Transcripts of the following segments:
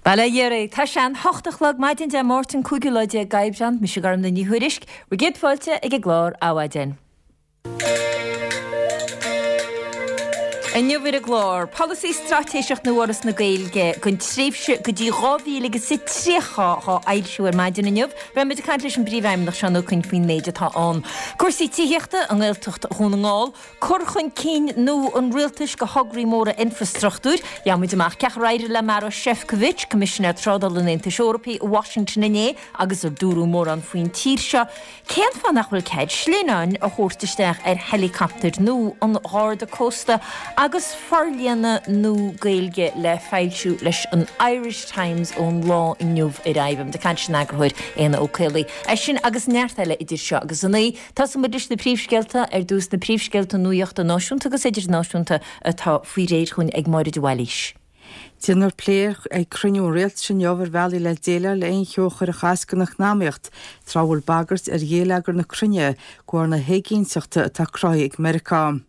Bail ó Dhia oraibh. Tá sé an hocht a chlog maidin Dé Máirt an cúigiú lá déag d'Aibreán. Mise Gormfhlaith Ní Thuairisg. Bhur gcéad fáilte ag an gclár Adhmhaidin. Inniu ar an gclár, Polasaí Straitéiseach nua Fhoras na Gaeilge don tréimhse go dtí 2030 á fhoilsiú ar maidin inniu. Beidh muid ag caint leis an bPríomhfheidhmeannach Seán Ó Coinn faoin méid atá ann. Cúrsaí tithíochta i nGaeltacht Dhún na nGall, Cur chun cinn nua an rialtais do thograí móra infreastruchtúir. Gheobhaidh muid amach cén chaoi ar éirigh le Maroš Šefčovič, Coimisinéir Trádála an Aontais Eorpaigh i Washington inné agus ar dúradh mórán faoin tír seo. Cén fáth nach bhfuil cead slinneáin a thabhairt isteach ar heileacaptair nua an Gharda Cósta agus forlíonadh nua Gaeilge le foilsiú leis an Irish Times ón lá inniu ar aghaidh. Beidh muid ag caint leis an eagarthóir Éanna Ó Caollaí. É sin agus neart eile idir seo agus a naoi. Tosóidh muid leis na príomhscéalta, ar dtús na príomhscéalta nuachta náisiúnta agus idirnáisiúnta atá faoi réir chugainn ag Máire de Bhailís. Déanfar plé ag cruinniú an Rialtais inniu ar bhealaí le déileáil le aon cheo a chuirfeadh as don eacnamaíocht tráth a bhfuil bagairt ar ghéilleagar na cruinne de bharr na héiginnteachta atá cruthaithe ag Meiriceá.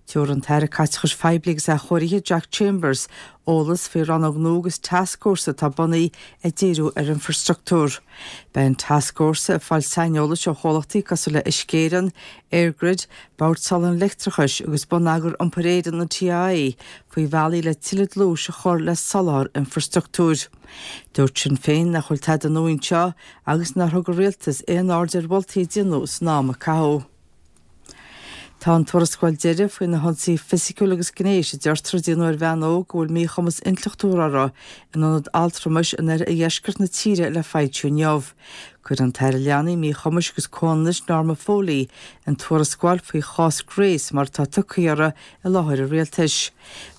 Tabharfaidh an tAire Caiteachais Phoiblí agus Athchóirithe Jack Chambers eolas faoi rannóg nua agus tascfhórsa atá bunaithe ag díriú ar infreastruchtúr. Beidh an tascfhórsa ag fáil saineolais ó chomhlachtaí cosúil le Uisce Éireann, EirGrid, Bord Soláthair an Leictreachais agus Bonneagar Iompair Éireann, an TII, faoi bhealaí le tuilleadh dlúis a chur le soláthar infreastruchtúir. Dúirt Sinn Féin nach bhfuil tada nua anseo agus nár thug an Rialtas aon aird ar mholtaí a déanadh san am a caitheadh. Tá an tuarascáil deiridh faoi na hionsaithe fisiciúil agus gnéis a deirtear a déanadh ar bhean óg a bhfuil míchumas intleachtúil uirthi in ionad altramais in oirdheisceart na tíre le foilsiú inniu. Cuirfidh an tAire Leanaí, Míchumais agus Comhionannais Norma Foley an tuarascáil faoi chás Grace mar atá tugtha uirthi i láthair an rialtais.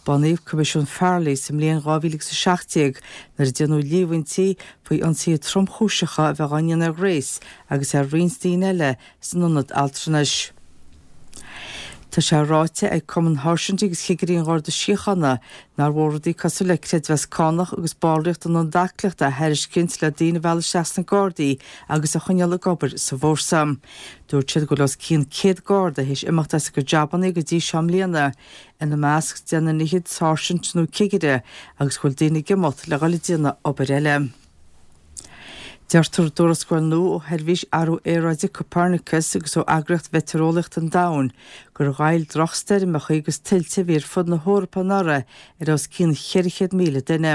Bunaíodh Coimisiún Farrelly sa mbliain 2017 nuair a déanadh líomhaintí faoi ionsaithe tromchúiseacha a bheith á ndéanamh ar Grace agus ar roinnt daoine eile san ionad altranais. Tá sé ráite ag Cumann Sháirsintí agus Chigirí an Gharda Síochána nár mhór rudaí cosúil le creidmheas cánach agus ballraíocht in ionad aclaíochta a thairiscint le daoine a mhealladh isteach sna Gardaí agus a choinneáil ag obair sa bhfórsa. Dúirt siad go bhfuil os cionn 100 Garda théis imeacht as a gcuid jabannaí go dtí seo i mbliana, ina measc deich nduine fhichead sáirsint nó cigire, agus go bhfuil daoine ag imeacht le dhul ag déanamh obair eile. Deirtear i dtuarascáil nua ó Sheirbhís Athrú Aeráide Copernicus agus ó Eagraíocht Mheitéareolaíochta an Domhain gur ghoill drochstoirmeacha agus tuilte a bhí ar fud na hEorpa anuraidh ar os cionn 400,000 duine.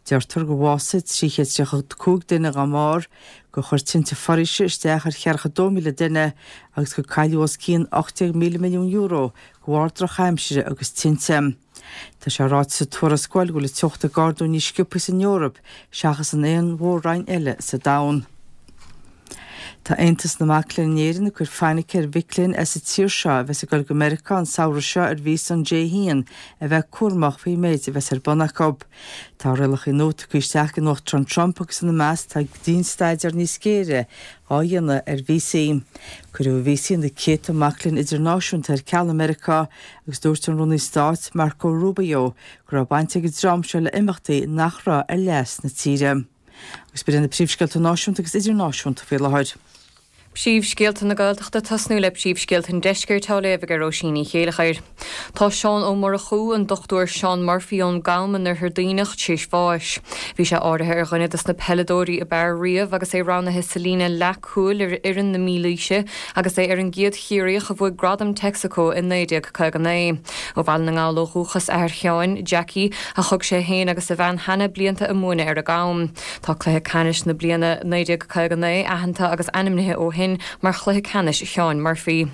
Deirtear gur bhásaigh 335 duine dá mbarr, gur chuir tinte foraoise isteach ar cheathracha 2,000 duine agus gur cailleadh os cionn €18,000 milliún de bharr drochaimsire agus tinte. Tá sé ráite sa tuarascáil go bhfuil an teocht ag ardú níos sciobtha san Eoraip seachas in aon mhór-roinn eile sa domhan. Tá Aontas na Mac Léinn in Éirinn ag cur fainic ar mhic léinn as an tír seo a bheas ag dul go Meiriceá an samhradh seo ar víosa an J1 a bheith cúramach faoin méid a bheas ar bun acu. Tá rialacha nua tugtha isteach ag an Uachtarán Trump agus ina measc tá dianstaidéar níos géire á dhéanamh ar víosaí. Cuireadh víosaí na céadta mac léinn idirnáisiúnta ar ceal i Meiriceá Agus dúirt an Rúnaí Stáit, Marco Rubio, go raibh baint ag an dream seo le imeachtaí nach raibh ar leas na tíre. Agus b'in iad na príomhscéalta náisiúnta agus idirnáisiúnta faoi láthair. Príomhscéalta na Gaeltachta Tosnú le príomhscéalta an Deiscirt á léamh ag Róisín Ní Chéileachair. Tá Seán Ó Murchú, an Dr Seán Murphy ón gCam in Oirthear Duibhneach, tar éis bháis. Bhí sé áirithe ar dhuine dos na peileadóirí ab fhearr riamh agus é roghnaithe sa líne leathcúil ar fhoireann na Mílaoise agus é ar an gcéad Chiarraíoch a bhuaigh Gradam Texaco i 1959. Ó Bhaile na nGall ó dhúchas athair Sheáin, Jackie, ach thug sé féin agus a bhean Hannah blianta ag múineadh ar an gCam. Tá cluiche ceannais na bliana 1959 aitheanta agus ainmnithe ó shin mar Chluiche Ceannais Sheáin Murphy.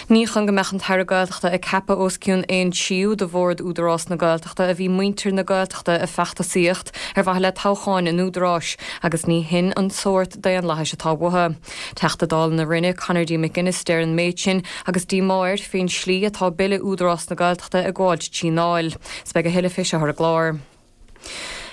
Ní chun go mbeadh an tAire Gaeltachta ag ceapadh os cionn aon tríú de bhord Údarás na Gaeltachta a bhí muintir na Gaeltachta ag feachtasaíocht ar mhaithe le toghcháin an Údaráis agus ní shin an sórt daonlathais atá uathu. Teachta Dála na Rinne, Conor D. McGuinness deir an méid sin agus díomá air faoin slí atá Bille Údarás na Gaeltachta ag gabháilt trí nDáil. 'S beidh a thuilleadh fé seo ar an gclár.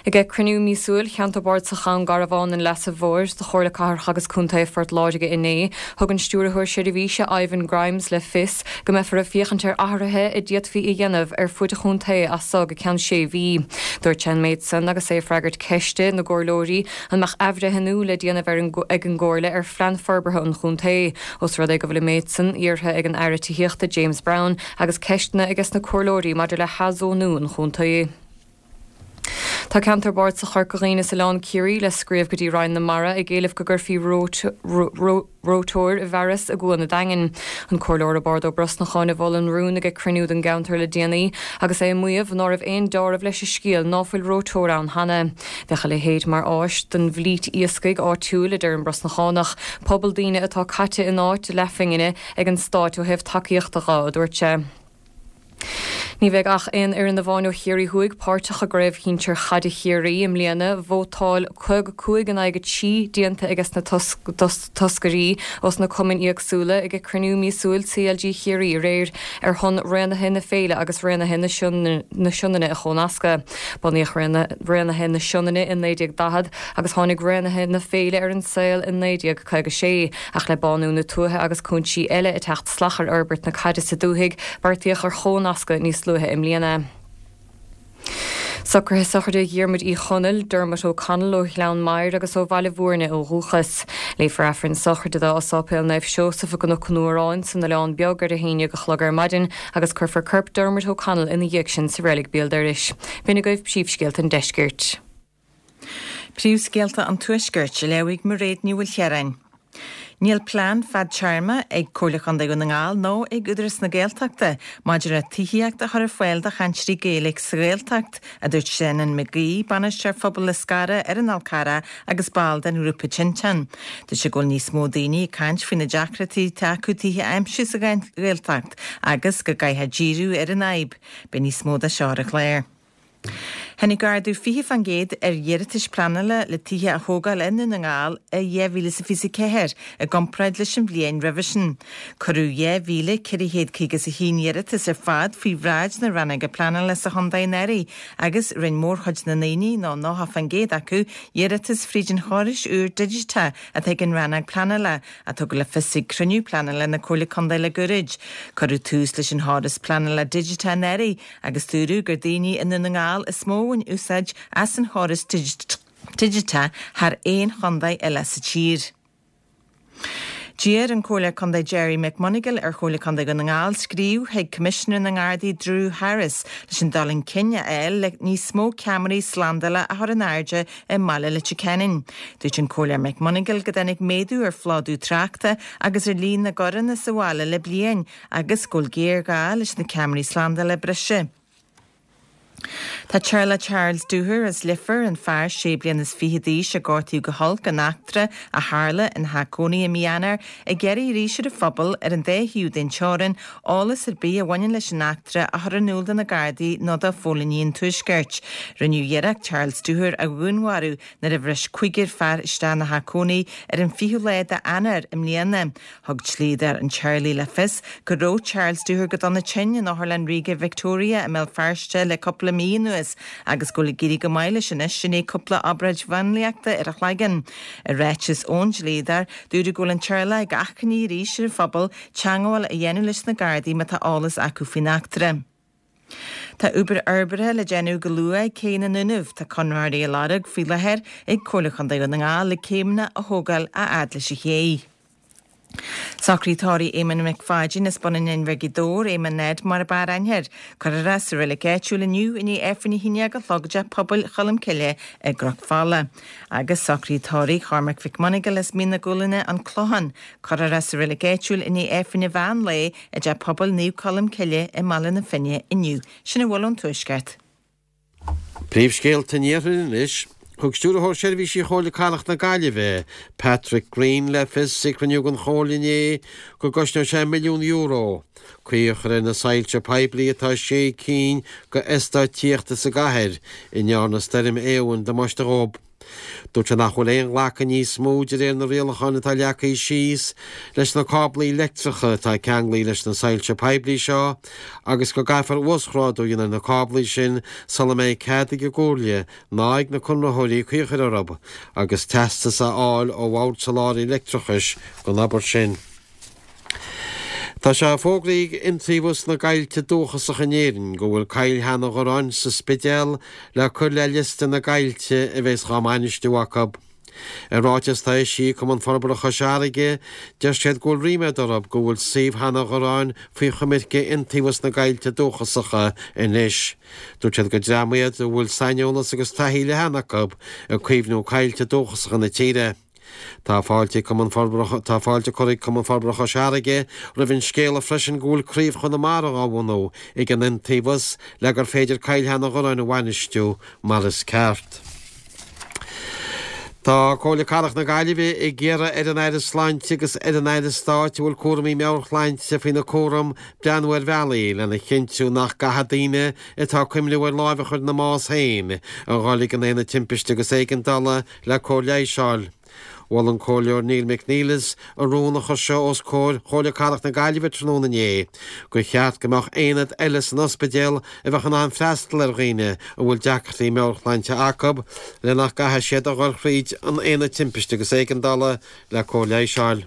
Ag cruinniú míosúil Cheantar Bardasach Dhún Garbhán an Leasa Mhóir de Chomhairle Cathrach agus Contae Phort Láirge inné, thug an Stiúrthóir Seirbhíse Ivan Grimes le fios go mbeifear ag féachaint ar athruithe a d'fhéadfaí a dhéanamh ar fuaid an chontae as so go ceann sé mhí. Dúirt sé an méid san agus é ag freagairt ceiste na gcomhairleoirí An mbeadh athbhreithniú le déanamh ar ag an gComhairle ar phlean forbartha an chontae, os rud é go bhfuil an méid san iarrtha ag an Aire Tithíochta James Browne agus ceisteanna aige sna comhairleoirí maidir le hathzónú an chontae. Tá Ceantar Bardasach Chorca Dhuibhne is Oileán Ciarraí le scríobh go dtí Roinn na Mara ag éileamh go gcuirfí reoiteoir i bhfearas i gCuan an Daingin. An Comhairleoir Roibeárd Ó Brosnacháin a mhol an rún ag cruinniú den gceantar le déanaí agus é ag maíomh ná raibh aon deáramh leis an scéal ná fuil reoiteoir ann cheana. Bheadh a leithéid mar áis don bhflít iascaigh áitiúil, a deir an Brosnachánach, pobal daoine atá caite in áit leathphingine ag an Stáit ó thaobh tacaíochta dho, a dúirt sé. Ní bheidh ach aon fhoireann amháin ó Chiarraí Thuaidh páirteach i gCraobh Shinsir Chaide Chiarraí i mbliana. Vótáil 55 in aghaidh 3 déanta ages na toscairí ós na cumainn éagsúla ag cruinniú míosúil CLG Chiarraí aréir ar shon Raonaithe na Féile agus Raonaithe na Sionainne a chónascadh. Bunaíodh Raonaithe na Sionainne i 1940 agus tháinig Raonaithe na Féile ar an saol i 1956. Ach le bánú na tuaithe agus cúinsí eile ag teacht salach ar fhorbairt na caide sa dúthaigh, beartaíodh ar chónascadh níos luaithe i mbliana. Socruithe sochraide Dhiarmuid Uí Chonaill, Dermot O'Connell ó Ghleann Maghair agus ó Bhaile Bhúirne ó dhúchas. Léifear Aifreann sochraide dó i Sáipéal Naomh Seosamh i gCnoc an Fhuaráin san Oileán Beag ar a haon dhéag a chlog ar maidin agus cuirfear corp Dermot O'Connell ina dhiaidh sin sa reilig béal dorais. B'in agaibh príomhscéalta an deiscirt. Príomhscéalta an Tuaiscirt, á léamh ag Mairéad Ní Mhaoilchiaráin. Níl plean fadtéarma ag Comhairle Chontae Dhún na nGall nó ag Údarás na Gaeltachta maidir le tithíocht a chur ar fáil do chainteoirí Gaeilge sa Ghaeltacht, a dúirt Senan McGee, Bainisteoir Phobail Liscarra ar an Fhál Carrach agus ball den ghrúpa Tinteán. Dúirt sé go bhfuil níos mó daoine ag caint faoi na deacrachtaí atá acu tithe a aimsiú sa Ghaeltacht agus go gcaithfear díriú ar an fhadhb. Beidh níos mó de seo ar an chlár. Tháinig ardú 20% ar iarratais pleanála le tithe a thógáil i nDún na nGall i 2024 i gcomparáid leis an bhliain roimhe sin. Cuireadh 2,451 iarratas ar fad faoi bhráid na rannóige pleanála sa chontae anuraidh agus rinne mórchuid na ndaoine, nó 90% acu, iarratas fríd an chórais úr digiteach atá ag an rannóg pleanála, a tugadh le fios ag cruinniú pleanála na Comhairle Contae le gairid. Cuireadh tús leis an chóras pleanála digiteach anuraidh agus dúradh gur daoine i nDún na nGall is mó a bhain úsáid as an chóras digiteach thar aon chontae eile sa tír. D'iarr an Comhairleoir Contae Gerry McMonagall ar Chomhairle Contae Dhún na nGall scríobh chuig Coimisinéir na nGardaí Drew Harris leis an dul chun cinn a fháil le níos mó ceamaraí slándála a chur in airde i mbaile Leitir Ceanainn. Dúirt an Comhairleoir McMonagall go dtáinig méadú ar phlódú tráchta agus ar líon na gcoireanna sa bhaile le bliain agus go bhfuil géarghá leis na ceamaraí slándála breise. Tá teaghlach Charles Dooher as Leifear, an fear sé bliana is fiche d'aois a gortaíodh go holc in eachtra a tharla ina theach cónaí i mí Eanáir, ag iarraidh arís ar an phobal ar an dá thaobh den teorainn eolas ar bith a bhaineann leis an eachtra a chur in iúl do na Gardaí nó do phóilíní an Tuaiscirt. Rinneadh iarracht Charles Dooher a dhúnmharú nuair a bhris cúigear fear isteach ina theach cónaí ar an 20ú lá d'Eanáir i mbliana. Thug dlíodóir an teaghlaigh le fios go raibh Charles Dooher go dona tinn in Otharlann Ríoga Victoria i mBéal Feirste le cúpla mí anuas agus go bhfuil ag éirí go maith leis anois i ndiaidh cúpla obráid mháinliachta ar a chloigeann. I ráiteas ón dlíodóir, dúradh go bhfuil an teaghlach ag achainí arís ar an phobal teagmháil a dhéanamh leis na Gardaí má tá eolas acu faoin eachtra. Tá obair fhorbartha le déanamh go luath ag Cé na nDúnaibh. Tá conraitheoirí á lorg faoi láthair ag Comhairle Chontae Dhún na nGall le céimeanna a thógáil a fhad leis an ché. Socruithe tórraimh Éamonn Mac Pháidín as Bun an Inbhir Gaoth Dobhair, Éamonn Ned mar ab fhearr aithne air. Cuirfear é sa reilig áitiúil inniu i ndiaidh Aifreann 11 a chlog i dTeach Pobail Cholm Cille i gCnoc Fola. Agus socruithe tórraimh Chormac Mhic Monagle as Mín na Gualainne, An Clochán. Cuirfear é sa reilig áitiúil i ndiaidh Aifreann an mheán lae i dTeach Pobail Naomh Colm Cille i mBaile na Finne inniu. Sin a bhfuil ón Tuaisceart. Príomhscéalta an Iarthair anois. Thug Stiúrthóir Seirbhísí Chomhairle Cathrach na Gaillimhe, Patrick Greene le fios ag cruinniú den Chomhairle inné go gcosnóidh sé €1 milliún caoi a chur ar na soilse poiblí atá i sé cinn de eastáit tithíochta sa gcathair a ndearna Stoirm Éowyn damáiste dhóibh. Dúirt sé nach bhfuil aon ghlacadh níos mó de réir na rialacháin atá leagtha síos leis na cáblaí leictreacha atá ceanglaithe leis na soilse poiblí seo agus go gcaithfear uasghrádú a dhéanamh ar na cáblaí sin sula mbeidh cead ag an gComhairle ná ag na conraitheoirí caoi a chur orthu agus teastas a fháil ó Bhord Soláthair Leictreachais don obair sin. Tá sé fógraithe ag Iontaobhas na gCoillte Dúchasacha in Éirinn go bhfuil Coill Sheanadh Dhorráin sa Spidéal le cur le liosta na gcoillte a bheas dhá mbainistiú acu. I ráiteas atá eisithe ag Cumann Forbartha Chois Fharraige, deir siad go bhfuil ríméad orthu go bhfuil suíomh Sheanadh Ghoráin faoi choimirce Iontaobhas na gCoillte Dúchasacha anois. Dúirt siad gur dream iad a bhfuil saineolas agus taithí leathan acu ag caomhnú coillte dúchasacha na tíre. Tá fáilte ag Cumann Forbartha Tá fáilte curtha ag Cumann Forbartha Chois Fharraige roimh an scéala freisin go bhfuil Craobh Chonamara á bhunú ag an Iontaobhas le gur féidir Coill Sheanadh Ghoráin a bhainistiú mar is ceart. Tá Comhairle Cathrach na Gaillimhe ag iarraidh ar an Aire Sláinte agus ar an Aire Stáit a bhfuil cúraimí meabhairshláinte faoina cúram breathnú ar bhealaí lena chinntiú nach gcaithfidh daoine atá ag cuimhniú ar láimh a chur ina mbás féin a dhul ag an Aonad Timpiste agus Éigeandála le cóir leighis a fháil. Mhol an Comhairleoir Neil McNeilus i rún a chuir sé os comhair Chomhairle Cathrach na Gaillimhe tráthnóna inné gur cheart go mbeadh aonad eile san ospidéal a bheadh in ann freastal ar dhaoine a bhfuil deacrachtaí meabhairshláinte acu le nach gcaithfidh siad a dhul thríd an Aonad Timpiste agus Éigeandála le cóir leighis a fháil.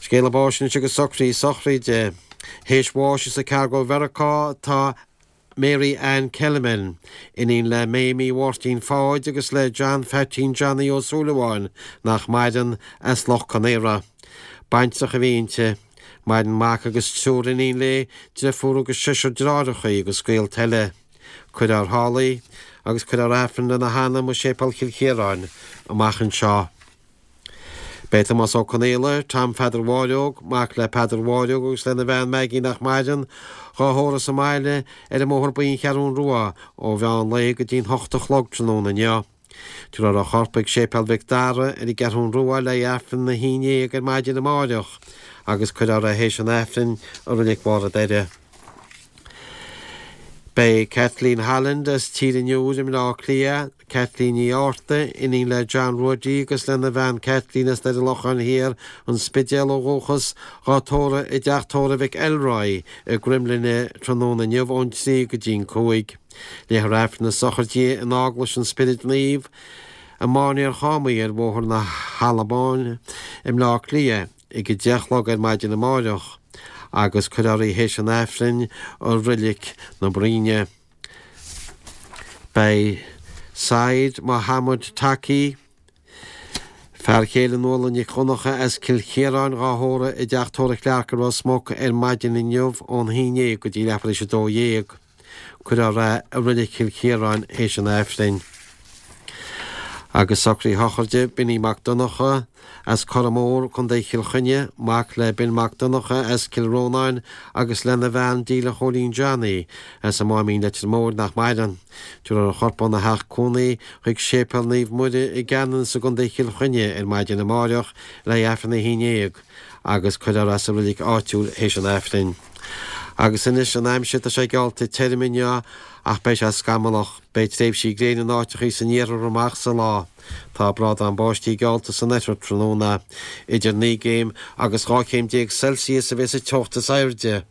Scéala báis anois agus socruithe sochraide. Théis bháis as an Chicago Mheiriceá tá Mary Ann Kellerman, iníon le Mamie Mháirtín Pháid agus le John Pheaitín Johnny Ó Súilleabháin, nach maireann, as Loch Con Aora. Baintreach a bhí inti. Maireann mac agus triúr iníon léi, deirfiúr agus seisear deartháireacha agus gaolta eile. Cuirfear thall í agus cuirfear Aifreann lena hanam i Séipéal Chill Chiaráin amach anseo. Beidh Tomás Ó Conaola, Tom Pheadair Mháireog, mac le Peadar Mháireog agus lena bhean Maggie nach maireann, dhá thórramh sa mbaile ar an mBóthar Buí An Cheathrún Rua ó mheán lae go dtí'n hocht a chlog tráthnóna inniu. Tabharfar a chorp ag Séipéal Mhic Dara ar an gCeathrún Rua le haghaidh Aifreann a haon dhéag ar maidin amáireach agus cuirfear é théis an Aifrinn i Reilig Bharr an Doire. Beidh Kathleen Holland as Tír an Iúir i mBleá Cliath, Kathleen Ní Fhátharta, iníon le John Ruairí agus lena bhean Kathleen as Doire Locháin Thiar, An Spidéal ó dhúchas, dhá tórramh i dteach tórraimh Mhic Elroy i gCroimghlinne tráthnóna inniu ón 3 go dtí'n 5. Léifear Aifreann na sochraide in Eaglais an Spioraid Naoimh i Máinliar Chámaí ar Bhóthar na hAlban i mBleá Cliath. ag a 10 a chlog ar maidin amáireach agus cuirfear í théis an Aifrinn i Roilic na Bruíne. Beidh Said Mohammed Taki, fear chéile Nuala Nic Dhonncha as Cill Chiaráin dhá thórramh i dTeach Tórraimh Clarke i Ros Muc ar maidin inniu ón 11 go dtí leathuair théis a 12. Cuirfear é i Reilig Chill Chiaráin théis an Aifrinn. Agus socruithe sochraide Binny Mac Donncha as Corra Mór, Co. Chill Chainnigh, mac le Bill Mac Donncha as Cill Rónáin agus lena bhean Díle Chóilín Johnny as an Máimín Leitir Móir nach maireann. Tabharfar a chorp óna theach cónaí chuig Séipéal Naomh Muire i gCeanannas i gContae Chill Chainnigh ar maidin amáireach le haghaidh Aifreann a 11. agus cuirfear é sa reilig áitiúil théis an Aifrinn. Agus anois an aimsir, tá sé geallta tirim inniu ach beidh sé scamallach. Beidh tréimhsí gréine in áiteachaí san iarthar amach sa lá. Tá brádán báistí geallta san oirthear tráthnóna. Idir 9 gcéim agus 12 chéim Celsius a bheas an teocht is airde.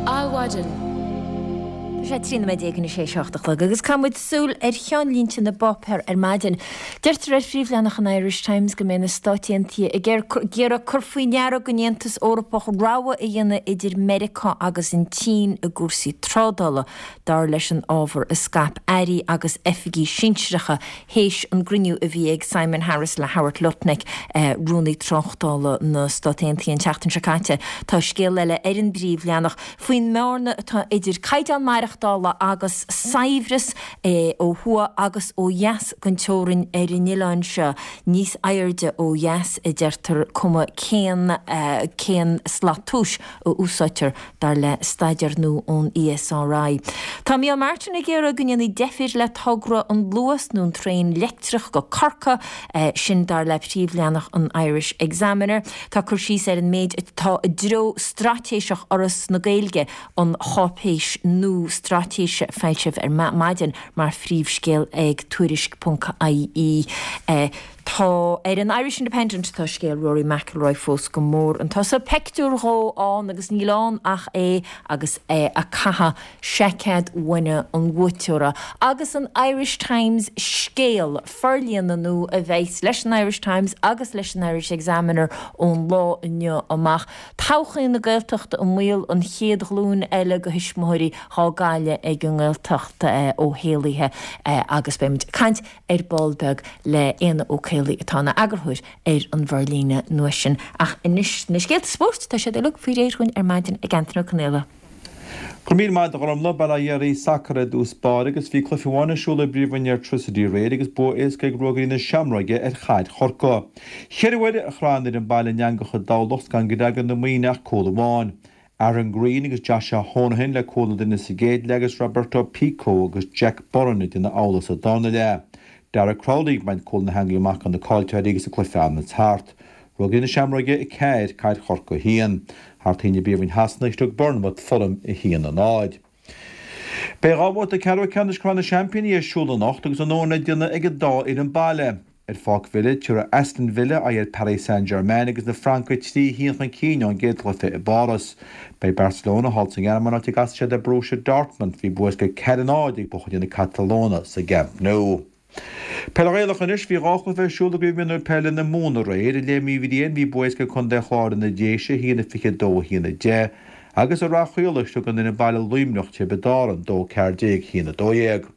Adhmhaidin. Tá sé 13 nóiméad anois théis a hocht a chlog agus caithfidh muid súil ar cheannlínte na bpáipéar ar maidin. Deirtear ar phríomhleathanach an Irish Times go mbeidh na Stáit Aontaithe ag iarraidh cur faoi ndeara don Aontas Eorpach rogha a dhéanamh idir Meiriceá agus an tSín i gcúrsaí trádála, dar leis an ábhar a scaip airí agus oifigigh sinsearacha théis an gcruinniú a bhí ag Simon Harris le Howard Lutnick, Rúnaí Tráchtála na Stát Aontaithe an tseachtain seo caite. Tá scéal eile ar an bpríomhleathanach faoin mbearna atá idir caighdeán maireachtála agus saibhreas ó thuaidh agus ó dheas den teorainn ar an oileán seo, níos airde ó dheas a deirtear, cuma cén cén slat tomhais a úsáidtear. dar le staidéar nua ón ESRI. Tá Micheál Martin ag iarraidh go ndéanfaí deifir le togra an Luas nó an traein leictreach go Corcaigh, sin dar le príomhleathanach an Irish Examiner. Tá cur síos ar an méid atá i dtreo straitéiseach Fhoras na Gaeilge, an cháipéis nua. Straitéise foilsithe ar maidin mar phríomhscéal ag Tuairisc ponc ie. Tá ar an Irish Independent tá scéal Rory McIlroy fós go mór chun tosaigh. Peictiúr dhó ann agus níl ann ach é agus é ag caitheamh seaicéad bhainne an bhuaiteora. Agus an Irish Times scéal forlíonadh nua a bheas leis an Irish Times agus leis an Irish Examiner ón lá inniu amach. Todhchaí na Gaeltachta i mbaol, an chéad ghlúin eile de thuismitheoirí dhá gcailleadh ag an nGaeltacht Ó hÉallaithe agus beimid ag caint ar ball beag le Éanna Ó Caollaí atá ina eagarthóir ar an bhforlíonadh nua sin. Ach anois na scéalta spóirt, tá siad uilig faoi réir dhúinn ar maidin ag Antaine Ó Conaola. Go raibh míle maith agat a Ghormfhlaith, Bail ó Dhia oraibh, Sacar i dtús báire agus bhí cluiche amháin ar siúl i bPríomhroinn Airtricity aréir agus bua éasca ag Ruagairí na Seamróige ar Chaid Chorcaí. Cheithre uair a chraith an fhoireann baile an eangach i dTamhlacht gan go dtaga na Muimhnigh ach cúl amháin. Aaron Greene agus Joshua Honohan le cúil na nduine sa gcéad leath agus Roberto Pico agus Jack Burren ag déanamh amhlaidh sa darna leath. Darragh Crowley ag baint cúl na heangaí amach do na caillteoirí agus an cluiche an-tart. Ruagairí na Seamróige 4, Caid Chorcaí 1. Thar toinn i bPríomhroinn Shasana thug Bournemouth Fulham 1, 0. Beidh dhá bhabhta ceathrú ceannais Chraobh na Seaimpíní ar siúl anocht agus a ndóthain le déanamh ag an dá fhoireann baile. Ar Pháirc Villa, tabharfaidh Aston Villa aghaidh ar Paris Saint-Germain agus na Francaigh 3 1 chun cinn ón gcéad chluiche i bPáras. Beidh Barcelona thall sa nGearmáin áit a gcasfaidh siad ar Borussia Dortmund. Bhí bua éasca 4 0 ag buachaillí na Catalóine sa gCamp Nou. Peil Ghaelach anois, bhí dhá chluiche ar siúl i gCraobh Mionúir Peile na Mumhan aréir. I Léim Uí Bhriain bhí bua éasca ag Contae an Chláir ar na Déise, 1-22, 1-10, agus i Rath Chaolais thug an fhoireann baile Luimneach Tiobraid Árann, 2 14, 1-12.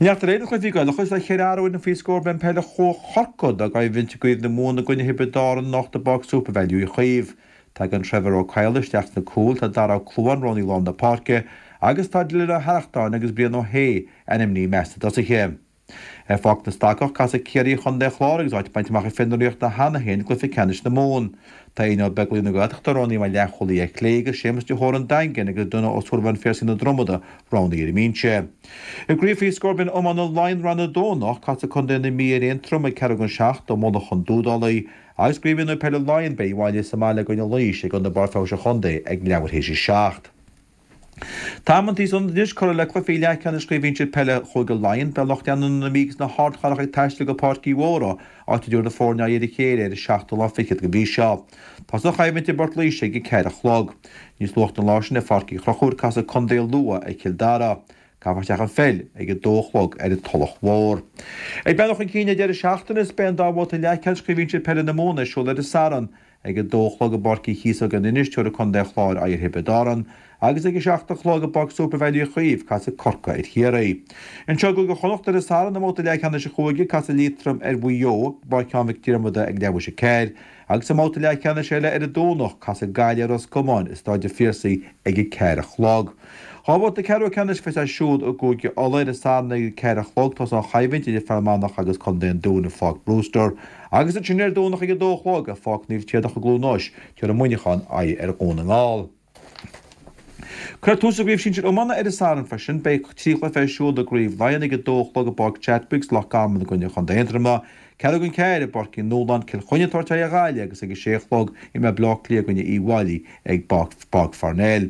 Neart aréir de chluichí Gaelacha is le cheithre athrú ar an faoi scór beidh an peil Chorcaí dá gcoimhlint i gCraobh na Mumhan i gcoinne Thiobraid Árann anocht i bPáirc Supervalu Uí Chaoimh. Tagann Trevor Ó Cadhla isteach sna cúil, tá Dara Ó Clúmháin roghnaithe i lár na páirce agus tá Dylan Ó hArrachtáin agus Brian Ó hAodha ainmnithe i measc na dtosaithe. Ar Pháirc na Stocach, casfaidh Ciarraí ar Chontae an Chláir agus áit bainte amach ag fir na Ríochta cheana féin i gcluiche ceannais na Mumhan. Tá Éinne Ó Beaglaoich na Gaeltachta roghnaithe mar leathchúlaí ar chlé agus Séamus de hÓra an Daingin agus Donagh Ó Súilleabháin Phiarsaigh na Dromoda roghnaithe ar an mbinse. I gcraobh faoi scór binn iomána Laighean Rang 2 anocht, casfaidh Contae na Mí ar Aontroim ag ceathrú don seacht i Mullach an Dúdálaigh agus i gcraobh mhionúir peile Laighean beidh Uíbh Fhailí sa mbaile i gcoinne Laois ag Ionad Barr Feabhais an Chontae ag leathuair théis a seacht. Tá amantaí san anois curtha le cluichí leathcheannais Chraobh Shinsir Peile Chúige Laighean. Beidh lucht leanúna na Mí agus na hArdchathrach ag taisteal go Páirc Uí Mhórdha, áit a dtabharfaidh na foirne aghaidh ar a chéile ar an seachtú lá fichead den mhí seo. Tosóidh an choimhlint i bPort Laoise ag a ceathair a chlog. Níos luaithe an lá sin ar Pháirc Uí Chonchúir casfaidh Contae Lú ar Chill Dara. Caithfear isteach an pheil ag a dó a chlog ar an Tulach Mhór. Ag breathnú chun cinn ar deireadh seachtaine is beidh an dá bhabhta leathcheannais Chraobh Shinsir Peile na Mumhan ar siúl ar an Satharn. Ag a dó a chlog i bPáirc Uí Chíosóg in Inis, tabharfaidh Contae an Chláir aghaidh ar Thiobraid Árann, agus ag a seacht a chlog i bPáirc Supervalu Uí Chaoimh, casfaidh Corcaigh ar Chiarraí. Anseo i gCúige Chonnacht ar an Satharn i mbabhta leathcheannais an chúige, casfaidh Liatroim ar Mhaigh Eo i bPáirc Sheáin Mhic Diarmada ag leathuair théis a ceathair, agus i mbabhta leathcheannais eile ar an Domhnach, casfaidh Gaillimh ar Ros Comáin i Stáid an Phiarsaigh ag a ceathair a chlog. Dhá bhabhta ceathrú ceannais a bheas ar siúl i gCúige Uladh ar an Satharn ag a ceathair a chlog, tosóidh an choimhlint idir Fear Manach agus Contae an Dúin i Pháirc Brewster, agus ansin ar Domhnach ag a dó a chlog i Pháirc Naomh Tríodach i gCluain Eois, tabharfaidh Muineachán aghaidh ar Dhún na nGall. Cuirfear tús le Craobh Shinsir Iomána ar an Satharn freisin. Beidh trí chluiche ar siúl i gCraobh Laighean ag a dó a chlog i bPáirc Chadwicks, Loch Garman i gcoinne Chontae Aontroma, Ceathrú don ceathair i bPáirc Uí Nualláin, Cill Chainnigh ag tabhairt aghaidh ar Ghaillimh agus ag a sé a chlog imreoidh Baile Átha Cliath i gcoinne Uíbh Fhailí ag Páirc Pharnell.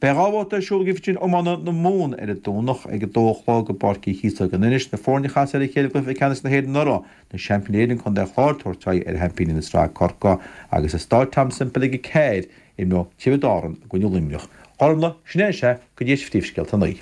Beidh dhá bhabhta ar siúl i gCraobh Shinsir Iomána na Mumhan ar an Domhnach ag a dó a chlog i bPáirc Uí Chíosóg in Inis, na foirne a chas ar a chéile i gcluiche ceannais na hÉireann anuraidh, na seaimpíní Éireann Contae an Chláir ag tabhairt aghaidh ar sheaimpíní na sraithe Corcaigh agus i Stáid Tom Semple ag a ceathair imreoidh Tiobraid Árann i gcoinne Luimneach. Gormlaith, sin é is ea go dtí phríomhscéalta a naoi.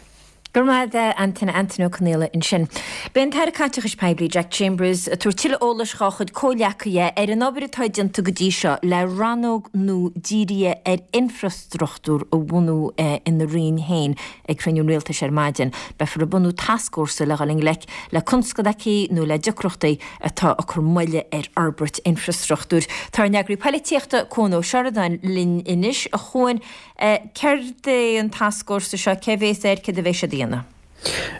Go raibh maith agat, Antaine, Antaine Ó Conaola ansin. Beidh an tAire Caiteachais Poiblí, Jack Chambers, ag tabhairt tuilleadh eolais dhá chuid comhghleacaithe ar an obair atá déanta go dtí seo le rannóg nua dírithe ar infreastruchtúr a bhunú ina roinn féin ag cruinniú an Rialtais ar maidin. Beifear ag bunú tascfhórsa le dhul i ngleic le constaicí nó le deacrachtaí atá ag cur moille ar fhorbairt infreastruchtúir. Tá ár n-eagraí poilitíochta, Cuan Ó Seireadáin, linn anois. A Chuain, Céard é an tascfhórsa seo? Cé a bhéas air? Céard a bheidh siad a dhéanamh?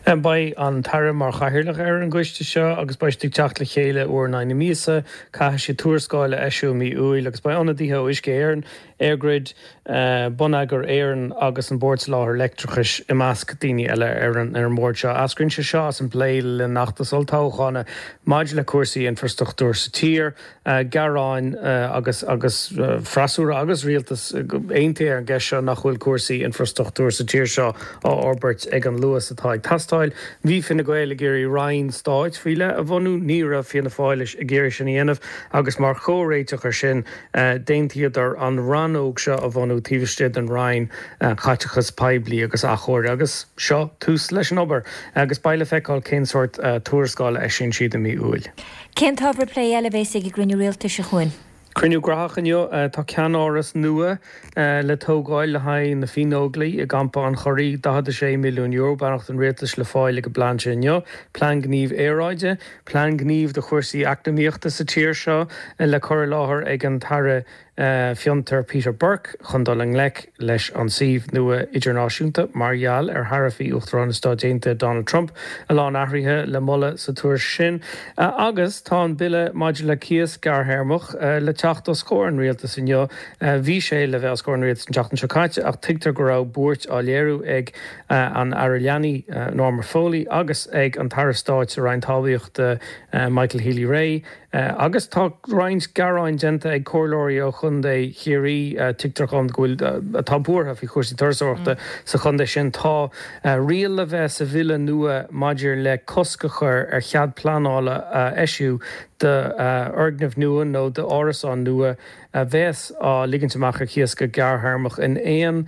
Beidh an tAire mar chathaoirleach ar an gcoiste seo agus beidh siad ag teacht le chéile uair in aghaidh na míosa. Caithfidh siad tuarascáil a eisiú i mí Iúil agus beidh ionadaithe ó Uisce Éireann. EirGrid, Bonneagar Éireann agus an Bord Soláthair Leictreachais i measc daoine eile ar an mbord seo. Eascraíonn sé seo as an bplé le linn an fheachtais olltoghcháin maidir le cúrsaí infrastruchtúir sa tír. Gearáin agus agus freasúra agus rialtas aontaithe ar an gceist seo nach bhfuil cúrsaí infrastruchtúir sa tír seo á fhorbairt ag an luas atá ag teastáil. Bhí Fine Gael ag iarraidh roinn stáit faoi leith a bhunú, ní raibh Fianna Fáil ag iarraidh sin a dhéanamh agus mar chomhréiteach air sin d'aontaíodar an rannóg seo a bhunú taobh istigh den Roinn Caiteachais Poiblí agus Athchóirithe agus seo tús leis an obair agus beidh le feiceáil cén sórt tuarascáil a eisíonn siad i mí Iúil. Cén t-ábhar plé eile a bhéas ag an gcruinniú rialtais, a Chuain? Cruinniú graitheach inniu. Tá ceannáras nua le tógáil le haghaidh na Fiannóglaigh i gCampa an Churraigh. €46 milliún, beannacht an rialtais le fáil ag an bplean sin inniu. Plean gnímh aeráide, plean gnímh do chúrsaí eacnamaíochta sa tír seo le cur i láthair ag an tAire Fiontar Peter Burke chun dul i ngleic leis an suíomh nua idirnáisiúnta mar gheall ar tharaifí Uachtarán na Stáit Aontaithe Donald Trump. A lán athruithe le moladh sa tuairisc sin. Agus tá an bille maidir le cíos gearrthéarmach le teacht os comhair an rialtais inniu. Bhí sé le bheith os comhair an rialtais an tseachtain seo caite ach tuigtear go raibh buairt á léiriú ag an Aire Leanaí Norma Foley agus ag an tAire Stáit sa Roinn Talmhaíochta Michael Healy-Rae Agus tá roinnt gearáin déanta ag comhairleoirí ó chontae Chiarraí, tuigtear dhom go bhfuil, atá buartha faoi chúrsaí turasóireachta sa chontae sin. Tá riail le bheith sa bhille nua maidir le cosc a chur ar chead pleanála a eisiú d'fhoirgnimh nua nó d'árasáin nua a bheas á ligint amach ar cíos go gearrthéarmach in aon